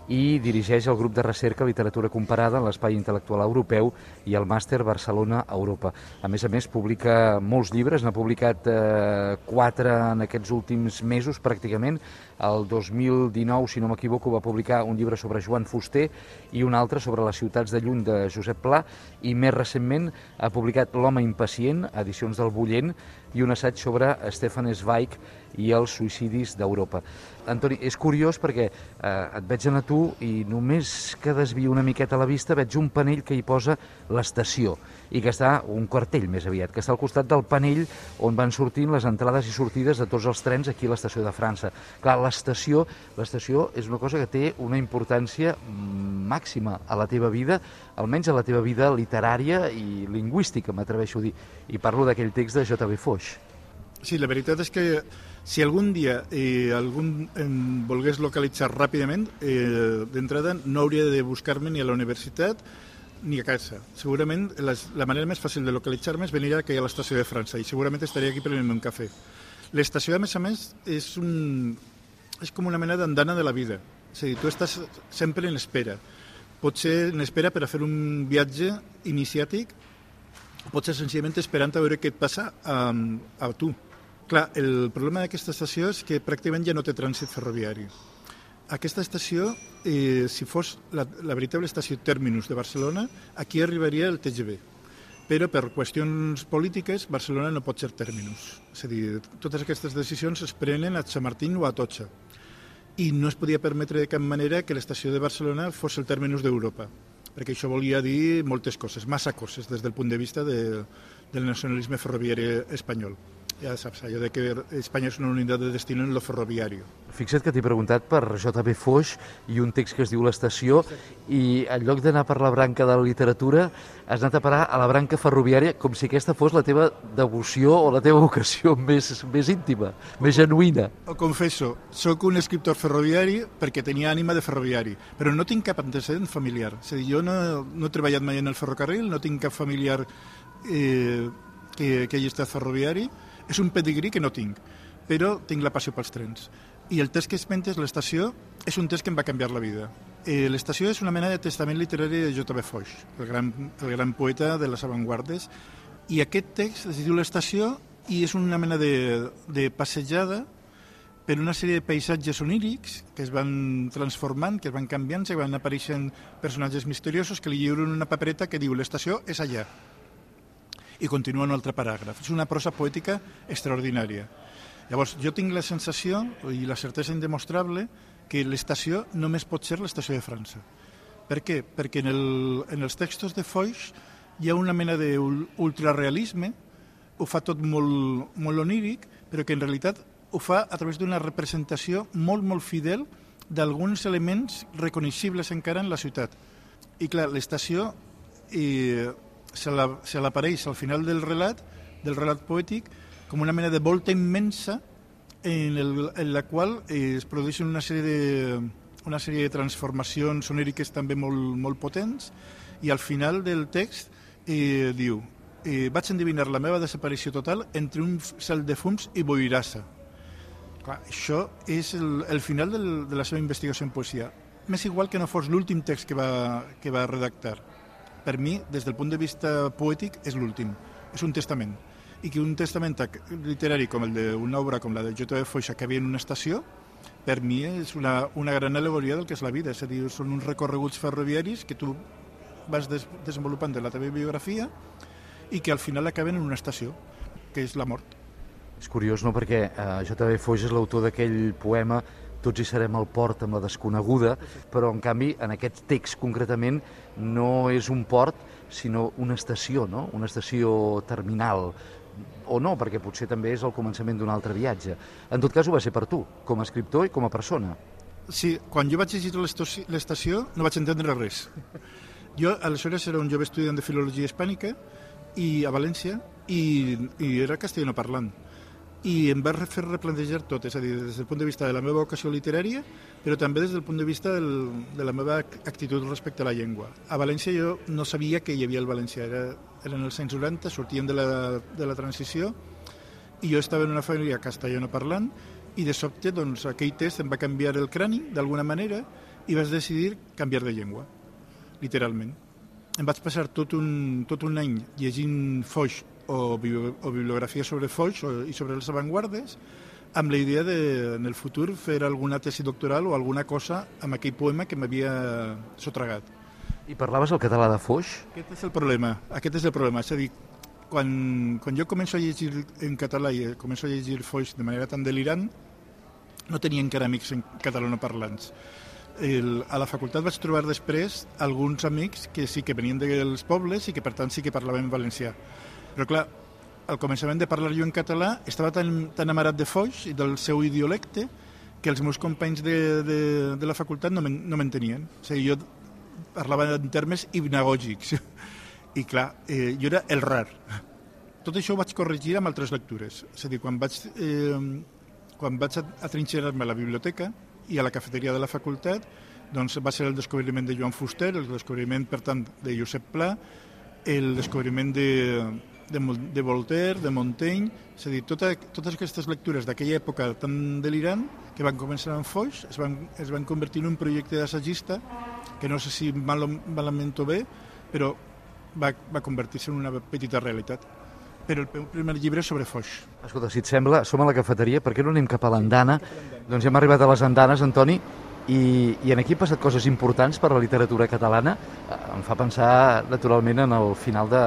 i dirigeix el grup de recerca Literatura Comparada en l'Espai Intel·lectual Europeu i el màster Barcelona-Europa. A més a més, publica molts llibres, n'ha publicat eh, quatre en aquests últims mesos, pràcticament. El dos mil dinou, si no m'equivoco, va publicar un llibre sobre Joan Fuster i un altre sobre les ciutats de lluny de Josep Pla, i més recentment ha publicat L'home impacient, edicions del Bullent, i un assaig sobre Stefan Zweig i els suïcidis d'Europa. Antoni, és curiós perquè eh, et veig anar tu i només que desvio una miqueta la vista veig un panell que hi posa l'estació i que està, un cartell més aviat, que està al costat del panell on van sortint les entrades i sortides de tots els trens aquí a l'estació de França. Clar, l'estació, l'estació és una cosa que té una importància màxima a la teva vida, almenys a la teva vida literària i lingüística, m'atreveixo a dir. I parlo d'aquell text de J B Foix. Sí, la veritat és que si algun dia eh, algun em volgués localitzar ràpidament, eh, d'entrada no hauria de buscar-me ni a la universitat ni a casa. Segurament les, la manera més fàcil de localitzar-me és venir aquí a l'estació de França i segurament estaria aquí prenent un cafè. L'estació, a més a més, és, un, és com una mena d'andana de la vida. És a dir, tu estàs sempre en espera. Pot ser en espera per a fer un viatge iniciàtic, pot ser senzillament esperant a veure què et passa a, a tu. Clar, el problema d'aquesta estació és que pràcticament ja no té trànsit ferroviari. Aquesta estació, eh, si fos la, la veritable estació terminus de Barcelona, aquí arribaria el T G V. Però per qüestions polítiques, Barcelona no pot ser terminus. És a dir, totes aquestes decisions es prenen a Chamartín o a Atocha. I no es podia permetre de cap manera que l'estació de Barcelona fos el terminus d'Europa, perquè això volia dir moltes coses, massa coses, des del punt de vista de, del nacionalisme ferroviari espanyol. Ja saps, allò de que Espanya és una unitat de destino en lo ferroviari. Fixa't que t'he preguntat per J B Foix i un text que es diu L'estació, i en lloc d'anar per la branca de la literatura has anat a parar a la branca ferroviària, com si aquesta fos la teva devoció o la teva vocació més, més íntima, més genuïna. Ho confesso, sóc un escriptor ferroviari perquè tenia ànima de ferroviari, però no tinc cap antecedent familiar. És a dir, jo no, no he treballat mai en el ferrocarril, no tinc cap familiar eh, que, que hagi estat ferroviari. És un pedigrí que no tinc, però tinc la passió pels trens. I el text que esmentes, l'estació, és un text que em va canviar la vida. Eh, l'estació és una mena de testament literari de J B Foix, el gran, el gran poeta de les avantguardes, i aquest text es diu L'estació i és una mena de, de passejada per una sèrie de paisatges onírics que es van transformant, que es van canviant, que van apareixent personatges misteriosos que li lliuren una papereta que diu «L'estació és allà». I continua un altre paràgraf. És una prosa poètica extraordinària. Llavors, jo tinc la sensació i la certesa indemostrable que l'estació només pot ser l'estació de França. Per què? Perquè en, el, en els textos de Foix hi ha una mena d'ultrarealisme, ho fa tot molt, molt oníric, però que en realitat ho fa a través d'una representació molt, molt fidel d'alguns elements reconeixibles encara en la ciutat. I clar, l'estació eh, se l'apareix al final del relat, del relat poètic, com una mena de volta immensa en, el, en la qual eh, es produeixen una sèrie de, una sèrie de transformacions oníriques també molt, molt potents, i al final del text eh, diu eh, vaig endevinar la meva desaparició total entre un cel de fums i boirassa. Clar, això és el, el final del, de la seva investigació en poesia. M'és igual que no fos l'últim text que va, que va redactar. Per mi, des del punt de vista poètic, és l'últim. És un testament. I que un testament literari com el d'una obra com la de J. Foix acabi en una estació, per mi és una, una gran al·legoria del que és la vida. És a dir, són uns recorreguts ferroviaris que tu vas des, desenvolupant de la teva biografia i que al final acaben en una estació, que és la mort. És curiós, no?, perquè eh, J. Foix és l'autor d'aquell poema Tots hi serem al port amb la desconeguda, però en canvi en aquest text concretament no és un port sinó una estació, no? Una estació terminal, o no, perquè potser també és el començament d'un altre viatge. En tot cas ho va ser per tu, com a escriptor i com a persona. Sí, quan jo vaig llegir l'estació no vaig entendre res. Jo aleshores era un jove estudiant de filologia hispànica i a València i, i era castellano parlant. I em va fer replantejar tot, és a dir, des del punt de vista de la meva vocació literària, però també des del punt de vista del, de la meva actitud respecte a la llengua. A València jo no sabia que hi havia el valencià, era, eren els anys noranta, sortíem de la, de la transició, i jo estava en una família castellano parlant, i de sobte doncs, aquell test em va canviar el crani, d'alguna manera, i vaig decidir canviar de llengua, literalment. Em vaig passar tot un, tot un any llegint Foix, O, o bibliografia sobre Foix o, i sobre les avantguardes, amb la idea de, en el futur, fer alguna tesi doctoral o alguna cosa amb aquell poema que m'havia sotragat. I parlaves el català de Foix? Aquest és el problema, aquest és el problema. És a dir, quan, quan jo començo a llegir en català i començo a llegir Foix de manera tan delirant, no tenia encara amics en catalanoparlants. El, a la facultat vaig trobar després alguns amics que sí que venien dels pobles i que per tant sí que parlaven valencià. Però clar, al començament de parlar jo en català estava tan, tan amarat de Foix i del seu idiolecte que els meus companys de, de, de la facultat no m'entenien. O sigui, jo parlava en termes hipnagògics i clar, eh, jo era el rar. Tot això ho vaig corregir amb altres lectures. És a dir, quan vaig, eh, quan vaig atrinxerar-me a la biblioteca i a la cafeteria de la facultat, doncs va ser el descobriment de Joan Fuster, el descobriment, per tant, de Josep Pla, el descobriment de, de, de Voltaire, de Montaigne, és a dir, tota, totes aquestes lectures d'aquella època tan delirant que van començar amb Foix es van, es van convertir en un projecte d'assagista que no sé si mal, malament o bé, però va, va convertir-se en una petita realitat. Però el meu primer llibre és sobre Foix. Escolta, si et sembla, som a la cafeteria, per què no anem cap a l'andana? Doncs hem arribat a les andanes, Antoni, i, i aquí han passat coses importants per la literatura catalana. Em fa pensar, naturalment, en el final de,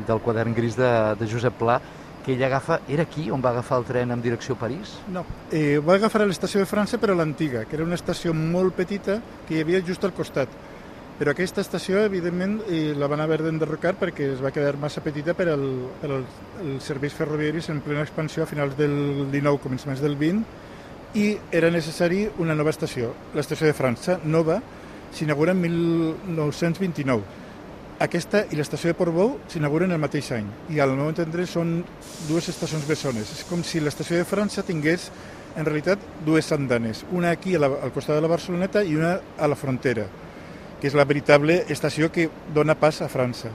del quadern gris de, de Josep Pla, que ell agafa... Era aquí on va agafar el tren en direcció a París? No, eh, va agafar a l'estació de França, però l'antiga, que era una estació molt petita que hi havia just al costat. Però aquesta estació, evidentment, eh, la van haver d'enderrocar perquè es va quedar massa petita per, al, per als, als serveis ferroviaris en plena expansió a finals del dinou, començaments del vint, i era necessari una nova estació. L'estació de França, nova, s'inaugura en mil nou-cents vint-i-nou. Aquesta i l'estació de Portbou s'inauguren el mateix any, i al meu entendre són dues estacions bessones. És com si l'estació de França tingués, en realitat, dues andanes, una aquí a la, al costat de la Barceloneta i una a la frontera, que és la veritable estació que dona pas a França.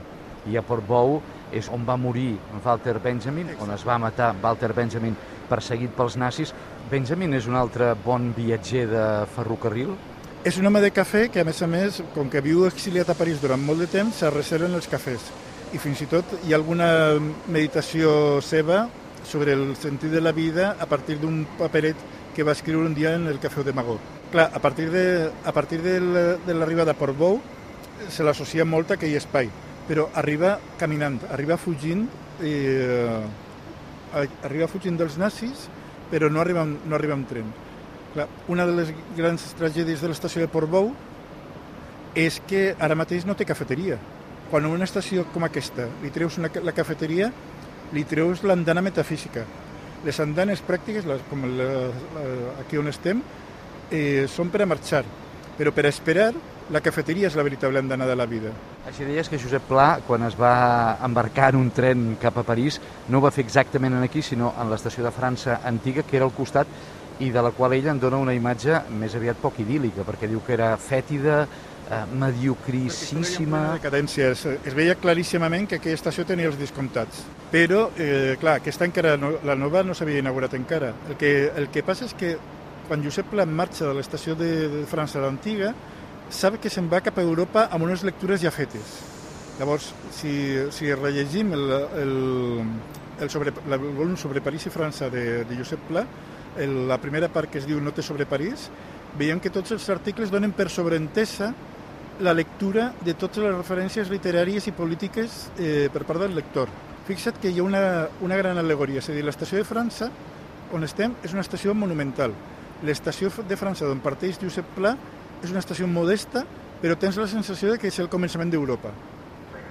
I a Portbou és on va morir Walter Benjamin, on es va matar Walter Benjamin perseguit pels nazis. Benjamin és un altre bon viatger de ferrocarril? És un home de cafè que, a més a més, com que viu exiliat a París durant molt de temps, se reserven els cafès. I fins i tot hi ha alguna meditació seva sobre el sentit de la vida a partir d'un paperet que va escriure un dia en el Cafè de Magó. Clar, a partir de, a partir de l'arribada a Portbou se l'associa molt a aquell espai, però arriba caminant, arriba fugint, eh, arriba fugint dels nazis, però no arriba, no arriba amb tren. Clar, una de les grans tragèdies de l'estació de Portbou és que ara mateix no té cafeteria. Quan a una estació com aquesta li treus una, la cafeteria, li treus l'andana metafísica, les andanes pràctiques, les, com la, la, aquí on estem, eh, són per a marxar, però per a esperar, la cafeteria és la veritable andana de la vida. Així deies que Josep Pla, quan es va embarcar en un tren cap a París, no ho va fer exactament aquí, sinó en l'estació de França antiga, que era al costat, i de la qual ella en dona una imatge més aviat poc idíl·lica, perquè diu que era fètida, eh, mediocríssima... Decadència. Es, es veia claríssimament que aquella estació tenia els descomptats. Però, eh, clar, aquesta encara no, la nova no s'havia inaugurat encara. El que, el que passa és que quan Josep Pla marxa de l'estació de, de França l'antiga, sap que se'n va cap a Europa amb unes lectures ja fetes. Llavors, si, si rellegim el, el, el, sobre, el volum sobre París i França de, de Josep Pla, el, la primera part que es diu Notes sobre París, veiem que tots els articles donen per sobreentesa la lectura de totes les referències literàries i polítiques eh, per part del lector. Fixa't que hi ha una, una gran al·legoria, és a dir, l'estació de França, on estem, és una estació monumental. L'estació de França d'on parteix Josep Pla és una estació modesta, però tens la sensació de que és el començament d'Europa.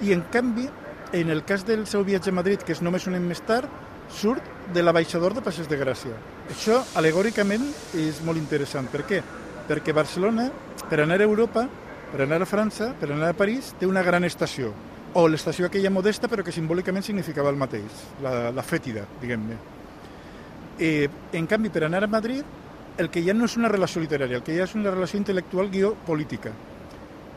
I, en canvi, en el cas del seu viatge a Madrid, que és només un any més tard, surt de l'abaixador de Passeig de Gràcia. Això, alegòricament, és molt interessant. Per què? Perquè Barcelona, per anar a Europa, per anar a França, per anar a París, té una gran estació. O l'estació aquella modesta, però que simbòlicament significava el mateix, la, la fètida, diguem-ne. Eh, en canvi, per anar a Madrid, el que ja no és una relació literària, el que ja és una relació intel·lectual guió política.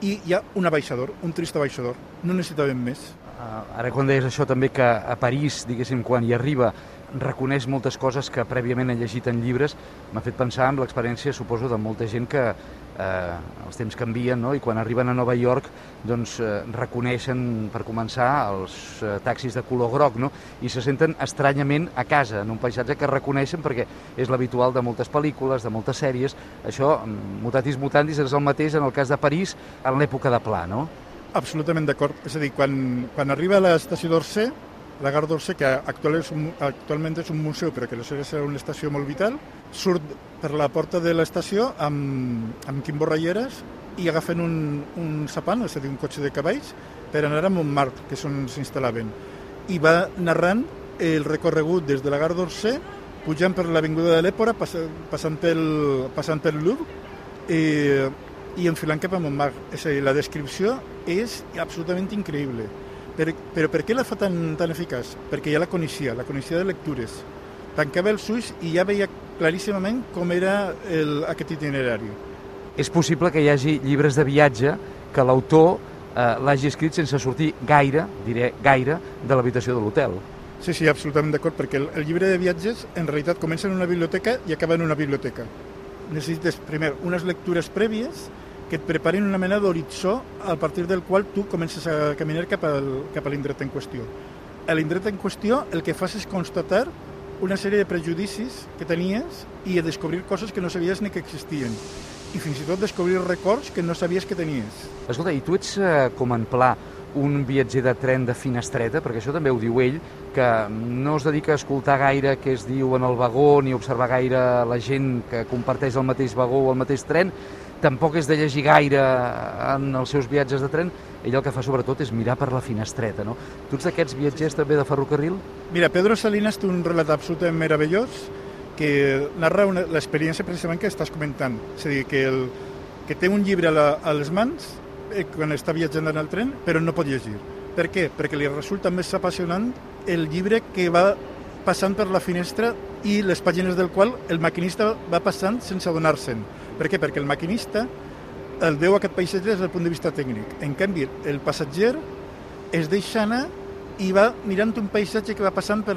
I hi ha un abaixador, un trist abaixador. No necessitàvem més. Uh, ara quan deies això també que a París, diguéssim, quan hi arriba, reconeix moltes coses que prèviament ha llegit en llibres, m'ha fet pensar en l'experiència, suposo, de molta gent que eh, els temps canvien, no? I quan arriben a Nova York doncs eh, reconeixen, per començar, els eh, taxis de color groc, no? I se senten estranyament a casa, en un paisatge que reconeixen perquè és l'habitual de moltes pel·lícules, de moltes sèries. Això, mutatis mutandis, és el mateix en el cas de París en l'època de Pla, no? Absolutament d'acord. És a dir, quan, quan arriba a l'estació d'Orsay, la Gare d'Orsay, que actualment és, un, actualment és un museu, però que aleshores era una estació molt vital, surt per la porta de l'estació amb, amb Quim Borralleres i agafen un, un sapan, és a dir, un cotxe de cavalls, per anar a Montmartre, que és on s'instal·laven. I va narrant el recorregut des de la Gare d'Orsay, pujant per l'Avinguda de l'Èpora, pass, passant, pel, passant pel Louvre, eh, i enfilant cap a Montmartre. És a dir, la descripció és absolutament increïble. Per, però per què la fa tan, tan eficaç? Perquè ja la coneixia, la coneixia de lectures. Tancava els ulls i ja veia claríssimament com era el, aquest itinerari. És possible que hi hagi llibres de viatge que l'autor eh, l'hagi escrit sense sortir gaire, diré gaire, de l'habitació de l'hotel. Sí, sí, absolutament d'acord, perquè el, el llibre de viatges en realitat comença en una biblioteca i acaba en una biblioteca. Necessites, primer, unes lectures prèvies que et preparin una mena d'horitzó a partir del qual tu comences a caminar cap, al, cap a l'indret en qüestió. A l'indret en qüestió el que fas és constatar una sèrie de prejudicis que tenies i a descobrir coses que no sabies ni que existien. I fins i tot descobrir records que no sabies que tenies. Escolta, i tu ets, eh, com en Pla, un viatger de tren de finestreta, perquè això també ho diu ell, que no es dedica a escoltar gaire què es diu en el vagó ni a observar gaire la gent que comparteix el mateix vagó o el mateix tren, tampoc és de llegir gaire en els seus viatges de tren, ell el que fa sobretot és mirar per la finestreta, no? Tu ets d'aquests viatgers també de ferrocarril? Mira, Pedro Salinas té un relat absolutament meravellós que narra l'experiència precisament que estàs comentant. És a dir, que, el, que té un llibre a, la, a les mans eh, quan està viatjant en el tren, però no pot llegir. Per què? Perquè li resulta més apassionant el llibre que va passant per la finestra i les pàgines del qual el maquinista va passant sense adonar-se'n. Per què? Perquè el maquinista el veu aquest paisatge des del punt de vista tècnic. En canvi, el passatger es deixa anar i va mirant un paisatge que va passant per,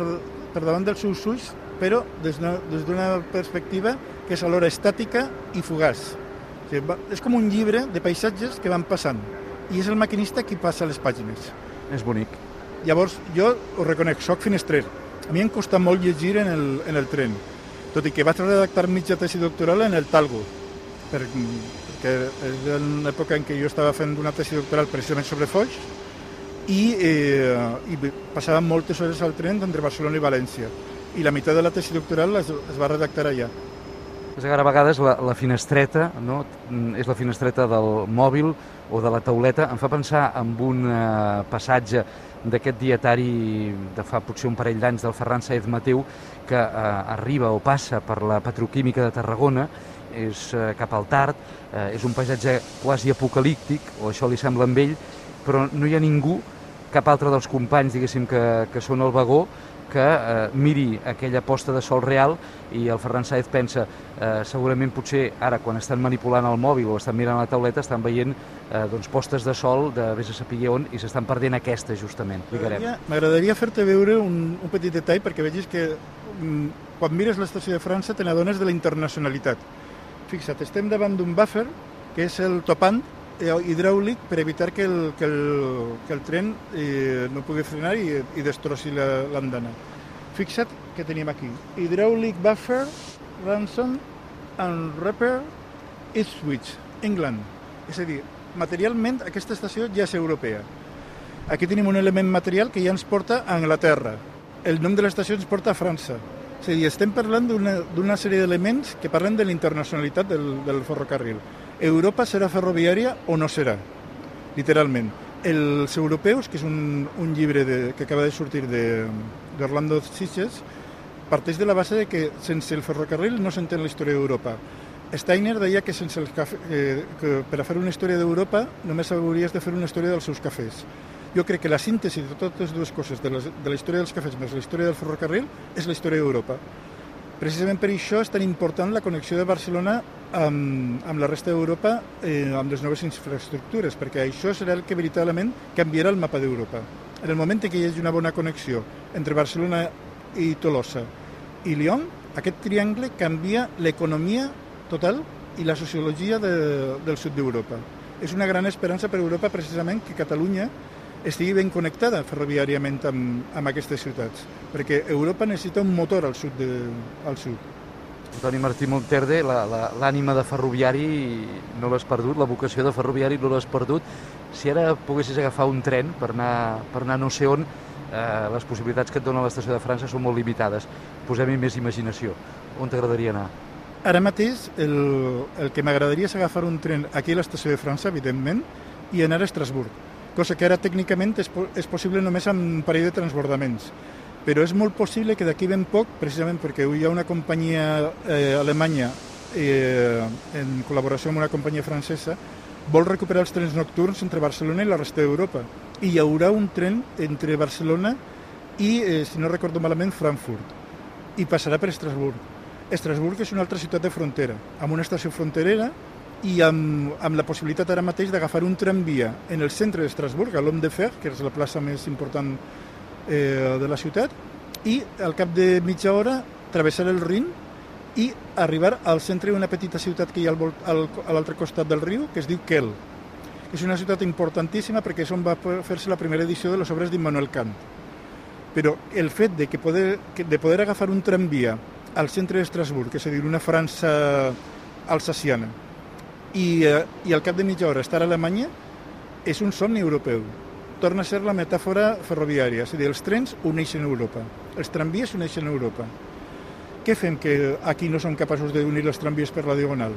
per davant dels seus ulls, però des d'una perspectiva que és alhora estàtica i fugaç. O sigui, va, és com un llibre de paisatges que van passant i és el maquinista qui passa les pàgines. És bonic. Llavors, jo ho reconec, soc finestrer. A mi em costa molt llegir en el, en el tren, tot i que vaig redactar mitja tesi doctoral en el Talgo, per, perquè és en l'època en què jo estava fent una tesi doctoral precisament sobre Foix i, eh, i passava moltes hores al tren entre Barcelona i València i la meitat de la tesi doctoral es, es va redactar allà. És que a vegades la, la finestreta, no? És la finestreta del mòbil o de la tauleta, em fa pensar en un eh, passatge d'aquest dietari de fa potser un parell d'anys del Ferran Sáenz Mateu, que eh, arriba o passa per la petroquímica de Tarragona, és eh, cap al Tard, eh, és un paisatge quasi apocalíptic, o això li sembla amb ell, però no hi ha ningú, cap altre dels companys, diguéssim, que, que són al vagó, que eh, miri aquella posta de sol real, i el Ferran Sáenz pensa, eh, segurament potser ara quan estan manipulant el mòbil o estan mirant la tauleta estan veient eh, doncs, postes de sol de vés a saber on, i s'estan perdent aquesta justament. M'agradaria fer-te veure un, un petit detall perquè vegis que mm, quan mires l'estació de França te n'adones de la internacionalitat. Fixa't, estem davant d'un buffer que és el topant hidràulic per evitar que el, que el, que el tren eh, no pugui frenar i, i destrossi l'andana. Fixa't que tenim aquí. Hydraulic Buffer, Ransom and Repair, Ipswich, England. És a dir, materialment aquesta estació ja és europea. Aquí tenim un element material que ja ens porta a Anglaterra. El nom de l'estació ens porta a França. És a dir, estem parlant d'una sèrie d'elements que parlen de la internacionalitat del, del ferrocarril. Europa serà ferroviària o no serà, literalment. Els europeus, que és un, un llibre de, que acaba de sortir d'Orlando Sitges, parteix de la base de que sense el ferrocarril no s'entén la història d'Europa. Steiner deia que, sense el cafè, eh, que per a fer una història d'Europa només hauries de fer una història dels seus cafès. Jo crec que la síntesi de totes dues coses, de la, de la història dels cafès més la història del ferrocarril, és la història d'Europa. Precisament per això és tan important la connexió de Barcelona amb, amb la resta d'Europa, eh, amb les noves infraestructures, perquè això serà el que veritablement canviarà el mapa d'Europa. En el moment en què hi hagi una bona connexió entre Barcelona i Tolosa i Lyon, aquest triangle canvia l'economia total i la sociologia de, del sud d'Europa. És una gran esperança per a Europa precisament que Catalunya estigui ben connectada ferroviàriament amb, amb aquestes ciutats, perquè Europa necessita un motor al sud. De, al sud. Antoni Martí Monterde, l'ànima de ferroviari no l'has perdut, la vocació de ferroviari no l'has perdut. Si ara poguessis agafar un tren per anar, per anar no sé on, eh, les possibilitats que et dona l'estació de França són molt limitades. Posem-hi més imaginació. On t'agradaria anar? Ara mateix el, el que m'agradaria és agafar un tren aquí a l'estació de França, evidentment, i anar a Estrasburg, cosa que ara tècnicament és, és possible només amb un parell de transbordaments. Però és molt possible que d'aquí ben poc, precisament perquè hi ha una companyia eh, alemanya eh, en col·laboració amb una companyia francesa, vol recuperar els trens nocturns entre Barcelona i la resta d'Europa. I hi haurà un tren entre Barcelona i, eh, si no recordo malament, Frankfurt. I passarà per Estrasburg. Estrasburg és una altra ciutat de frontera, amb una estació fronterera i amb, amb la possibilitat ara mateix d'agafar un tramvia en el centre d'Estrasburg, a l'Homme de Fer, que és la plaça més important eh, de la ciutat, i al cap de mitja hora travessar el Rin i arribar al centre d'una petita ciutat que hi ha al, al, a l'altre costat del riu, que es diu Kiel. És una ciutat importantíssima perquè és on va fer-se la primera edició de les obres d'Immanuel Kant. Però el fet de, que poder, de poder agafar un tramvia al centre d'Estrasburg, és a dir, una França alsaciana, i, eh, i al cap de mitja hora estar a Alemanya, és un somni europeu. Torna a ser la metàfora ferroviària, és a dir, els trens uneixen Europa, els tramvies uneixen Europa. Què fem que aquí no som capaços d'unir els tramvies per la Diagonal?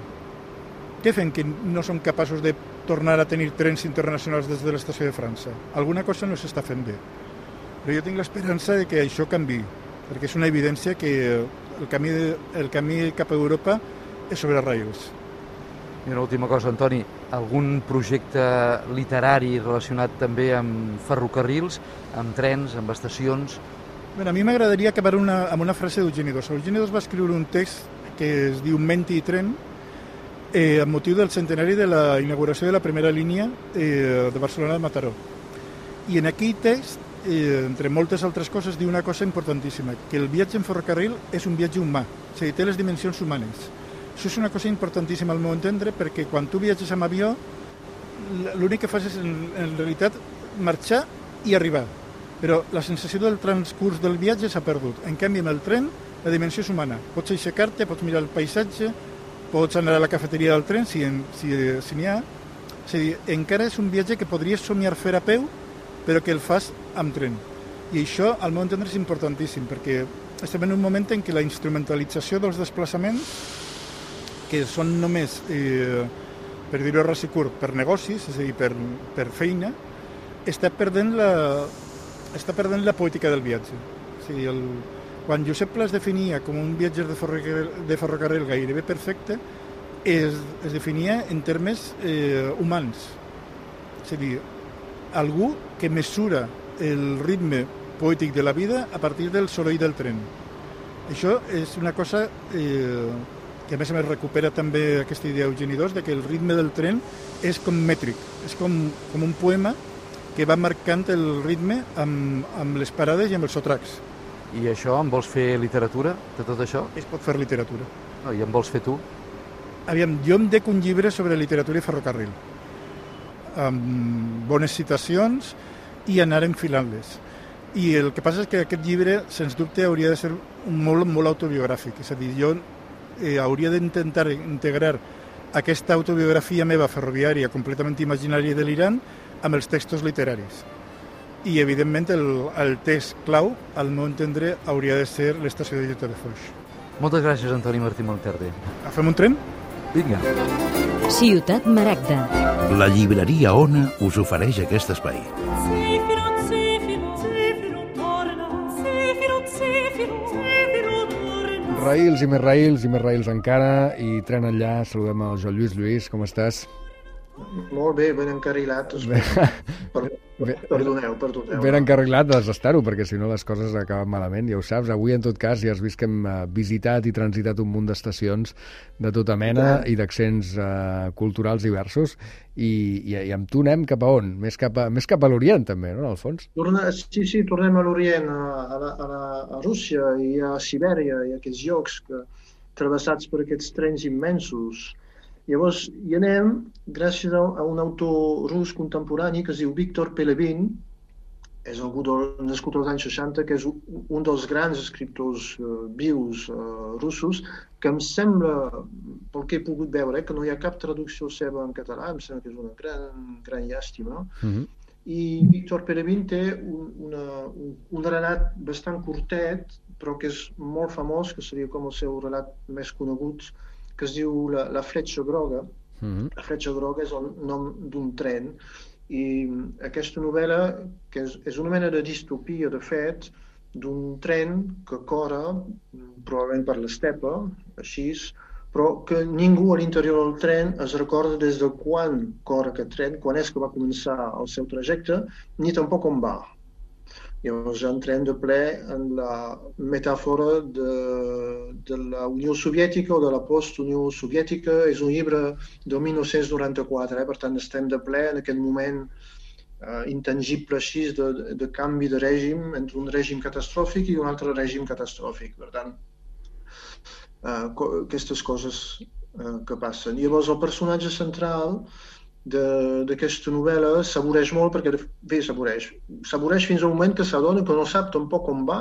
Què fem que no som capaços de tornar a tenir trens internacionals des de l'estació de França? Alguna cosa no s'està fent bé. Però jo tinc l'esperança de que això canvi, perquè és una evidència que el camí, el camí cap a Europa és sobre rails. I una última cosa, Antoni, algun projecte literari relacionat també amb ferrocarrils, amb trens, amb estacions? Bé, a mi m'agradaria acabar una, amb una frase d'Eugeni d'Ors. Eugeni d'Ors va escriure un text que es diu Menti i tren, eh, amb motiu del centenari de la inauguració de la primera línia eh, de Barcelona de Mataró. I en aquell text, eh, entre moltes altres coses, diu una cosa importantíssima, que el viatge en ferrocarril és un viatge humà, és a dir, té les dimensions humanes. Això és una cosa importantíssima al meu entendre, perquè quan tu viatges amb avió, l'únic que fas és, en, en realitat, marxar i arribar. Però la sensació del transcurs del viatge s'ha perdut. En canvi, amb el tren, la dimensió és humana. Pots aixecar-te, pots mirar el paisatge, pots anar a la cafeteria del tren, si, en, si, si n'hi ha. És a dir, encara és un viatge que podries somiar fer a peu, però que el fas amb tren. I això, al meu entendre, és importantíssim, perquè estem en un moment en què la instrumentalització dels desplaçaments, que són només, eh, per dir-ho ras i curt, per negocis, és a dir, per, per feina, està perdent la, està perdent la poètica del viatge. O sigui, el, quan Josep Pla es definia com un viatger de ferrocarril, de ferrocarril gairebé perfecte, es, es definia en termes eh, humans. És a dir, algú que mesura el ritme poètic de la vida a partir del soroll del tren. Això és una cosa eh, que a més a més recupera també aquesta idea Eugeni dos, de que el ritme del tren és com mètric, és com, com un poema que va marcant el ritme amb, amb les parades i amb els sotracs. I això, en vols fer literatura, de tot això? Es pot fer literatura. No, I en vols fer tu? Aviam, jo em dec un llibre sobre literatura i ferrocarril, amb bones citacions i anar enfilant-les. I el que passa és que aquest llibre, sens dubte, hauria de ser molt, molt autobiogràfic. És a dir, jo eh, hauria d'intentar integrar aquesta autobiografia meva ferroviària completament imaginària i delirant amb els textos literaris. I, evidentment, el, el text clau, al meu entendre, hauria de ser l'estació de Llita de Foix. Moltes gràcies, Antoni Martí Monterde. Agafem un tren? Vinga. Ciutat Maragda. La llibreria Ona us ofereix aquest espai. Raïls i més raïls i més raïls encara, i tren enllà. Saludem al Joan Lluís. Lluís, com estàs? Molt bé, ben encarrilat. Per, perdoneu, perdoneu. Ben encarrilat has d'estar-ho, perquè si no les coses acaben malament, ja ho saps. Avui, en tot cas, ja has vist que hem visitat i transitat un munt d'estacions de tota mena i d'accents uh, culturals diversos, i, i, i amb tu anem cap a on? Més cap a, més cap a l'Orient, també, no?, al fons? Torna, sí, sí, tornem a l'Orient, a, a, la, a, la, a Rússia i a Sibèria i a aquests llocs que, travessats per aquests trens immensos. Llavors, hi anem gràcies a un autor rus contemporani que es diu Víctor Pelevin, és algú del, nascut als anys seixanta, que és un dels grans escriptors uh, vius uh, russos, que em sembla, pel que he pogut veure, eh, que no hi ha cap traducció seva en català, em sembla que és una gran, gran llàstima. Mm-hmm. I Víctor Pelevin té un, una, un, un relat bastant curtet, però que és molt famós, que seria com el seu relat més conegut, que es diu La, la fletxa groga. Mm-hmm. La fletxa groga és el nom d'un tren, i aquesta novel·la, que és, és una mena de distopia, de fet, d'un tren que corre, probablement per l'estepa, així, però que ningú a l'interior del tren es recorda des de quan corre aquest tren, quan és que va començar el seu trajecte, ni tampoc on va. Llavors entrem de ple en la metàfora de, de la Unió Soviètica o de la post-Unió Soviètica. És un llibre de mil nou-cents noranta-quatre, eh? Per tant estem de ple en aquest moment eh, intangible així de, de canvi de règim entre un règim catastròfic i un altre règim catastròfic. Per tant, eh, aquestes coses eh, que passen. Llavors el personatge central d'aquesta novel·la s'avoreix molt, perquè bé, s'avoreix. S'avoreix fins al moment que s'adona que no sap tampoc on va,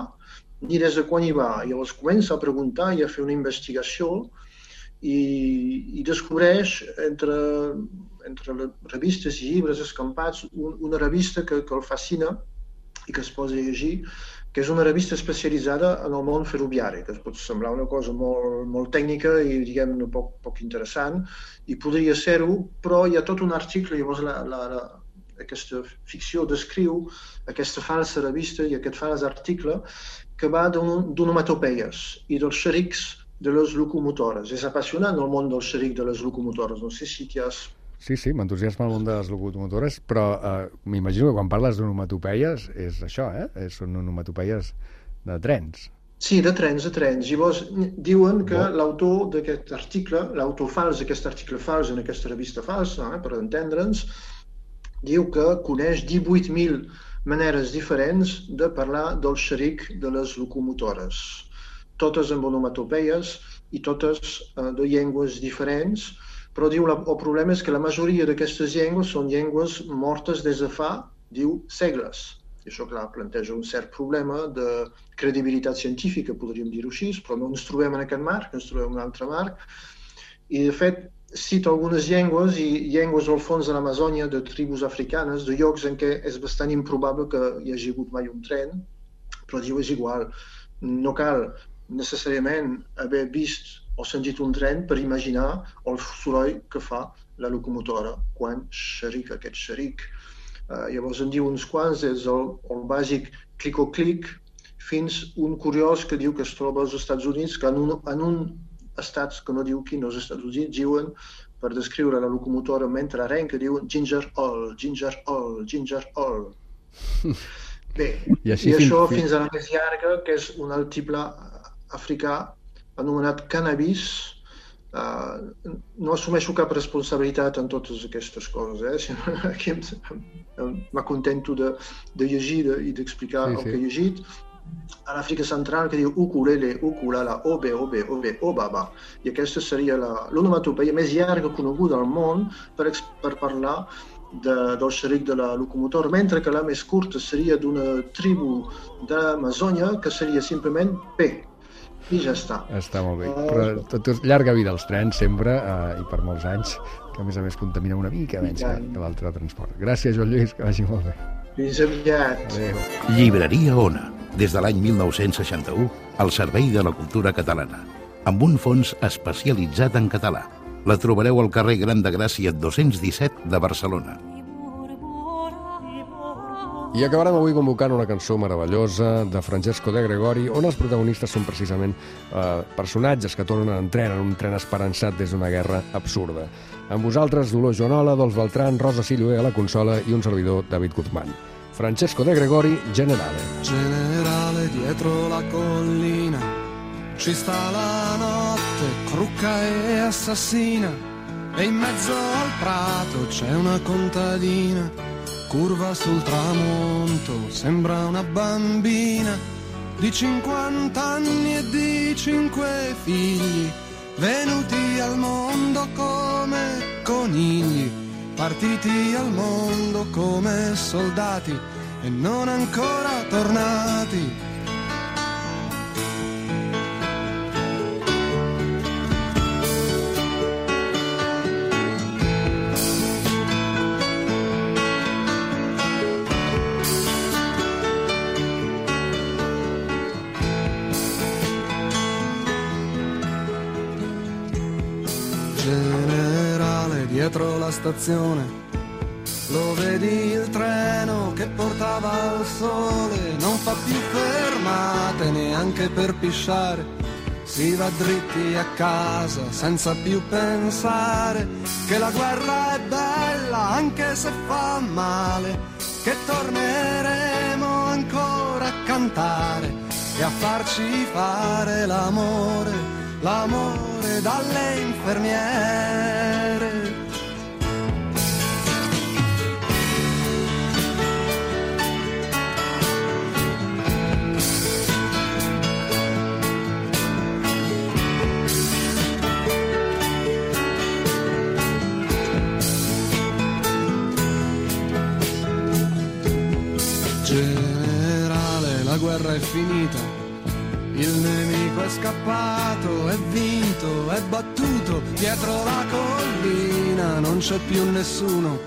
ni des de quan hi va. Llavors comença a preguntar i a fer una investigació i, i descobreix entre, entre les revistes i llibres escampats un, una revista que, que el fascina i que es posa a llegir, que és una revista especialitzada en el món ferroviari, que es pot semblar una cosa molt, molt tècnica i, diguem-ne, poc, poc interessant, i podria ser-ho, però hi ha tot un article, llavors la, la, la, aquesta ficció descriu aquesta falsa revista i aquest fals article que va d'onomatopeies i dels xerics de les locomotores. És apassionant el món del xeric de les locomotores, no sé si t'hi has... Sí, sí, m'entusiasma el món de les locomotores, però eh, m'imagino que quan parles d'onomatopeies és això, eh? Són onomatopeies de trens. Sí, de trens, de trens. Llavors diuen que oh. l'autor d'aquest article, l'autor fals d'aquest article fals en aquesta revista falsa, eh, per entendre'ns, diu que coneix divuit mil maneres diferents de parlar del xeric de les locomotores. Totes amb onomatopeies i totes eh, de llengües diferents, però diu la, el problema és que la majoria d'aquestes llengües són llengües mortes des de fa, diu, segles. I això, clar, planteja un cert problema de credibilitat científica, podríem dir-ho així, però no ens trobem en aquest marc, ens trobem en un altre marc. I, de fet, cita algunes llengües i llengües al fons de l'Amazònia, de tribus africanes, de llocs en què és bastant improbable que hi hagi hagut mai un tren, però diu, és igual, no cal necessàriament haver vist o sentit un tren per imaginar el soroll que fa la locomotora quan xerica aquest xeric. Uh, llavors en diu uns quants, des del el bàsic clic-o-clic fins un curiós que diu que es troba als Estats Units, que en un, en un estats que no diu quin, als Estats Units diuen, per descriure la locomotora mentre arrenca, diuen ginger ale, ginger ale, ginger ale. Bé, i, i això fins, fins a la més llarga, que és un altiplà africà anomenat cannabis. Uh, no assumeixo cap responsabilitat en totes aquestes coses, eh? Sinó que m'acontento de, de llegir de, i d'explicar sí, el sí. que he llegit. A l'Àfrica Central que diu ukulele, ukulala, obe, obe, obe, obaba. I aquesta seria l'onomatopeia més llarga coneguda al món per, per parlar de, del xeric de la locomotora, mentre que la més curta seria d'una tribu d'Amazònia que seria simplement P. I ja està. Està molt bé. Però tot és llarga vida als trens, sempre, eh, i per molts anys, que a més a més contamina una mica menys que, que l'altre transport. Gràcies, Joan Lluís, que vagi molt bé. Fins aviat. Adéu. Llibreria Ona, des de l'any mil nou-cents seixanta-u, al servei de la cultura catalana, amb un fons especialitzat en català. La trobareu al carrer Gran de Gràcia dos-cents disset de Barcelona. I acabarem avui convocant una cançó meravellosa de Francesco De Gregori, on els protagonistes són precisament eh, personatges que tornen en tren, en un tren esperançat des d'una guerra absurda. Amb vosaltres, Dolors Joanola, Dolç Beltrán, Rosa Silloé a la consola i un servidor, David Guzmán. Francesco De Gregori, Generale. Generale, dietro la collina ci sta la notte, crucca e assassina, e in mezzo al prato c'è una contadina. Curva sul tramonto, sembra una bambina di cinquanta anni e di cinque figli, venuti al mondo come conigli, partiti al mondo come soldati e non ancora tornati. Dietro la stazione lo vedi il treno che portava al sole, non fa più fermate neanche per pisciare, si va dritti a casa senza più pensare che la guerra è bella anche se fa male, che torneremo ancora a cantare e a farci fare l'amore, l'amore dalle infermiere. Generale, la guerra è finita, il nemico è scappato, è vinto, è battuto, dietro la collina non c'è più nessuno,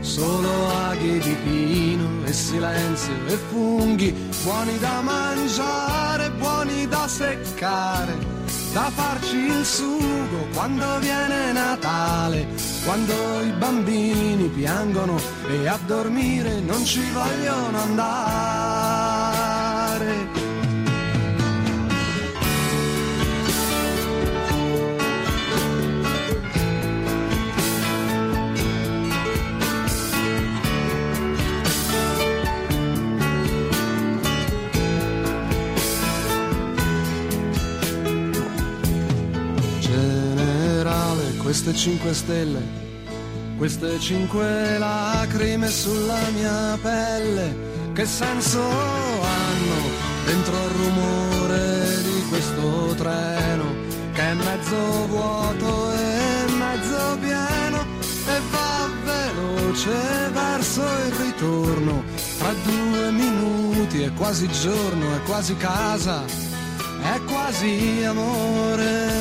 solo aghi di pino e silenzio e funghi, buoni da mangiare, buoni da seccare, da farci il sugo quando viene Natale, quando i bambini piangono e a dormire non ci vogliono andare. Queste cinque stelle, queste cinque lacrime sulla mia pelle, che senso hanno dentro il rumore di questo treno, che è mezzo vuoto e mezzo pieno, e va veloce verso il ritorno, tra due minuti è quasi giorno, è quasi casa, è quasi amore.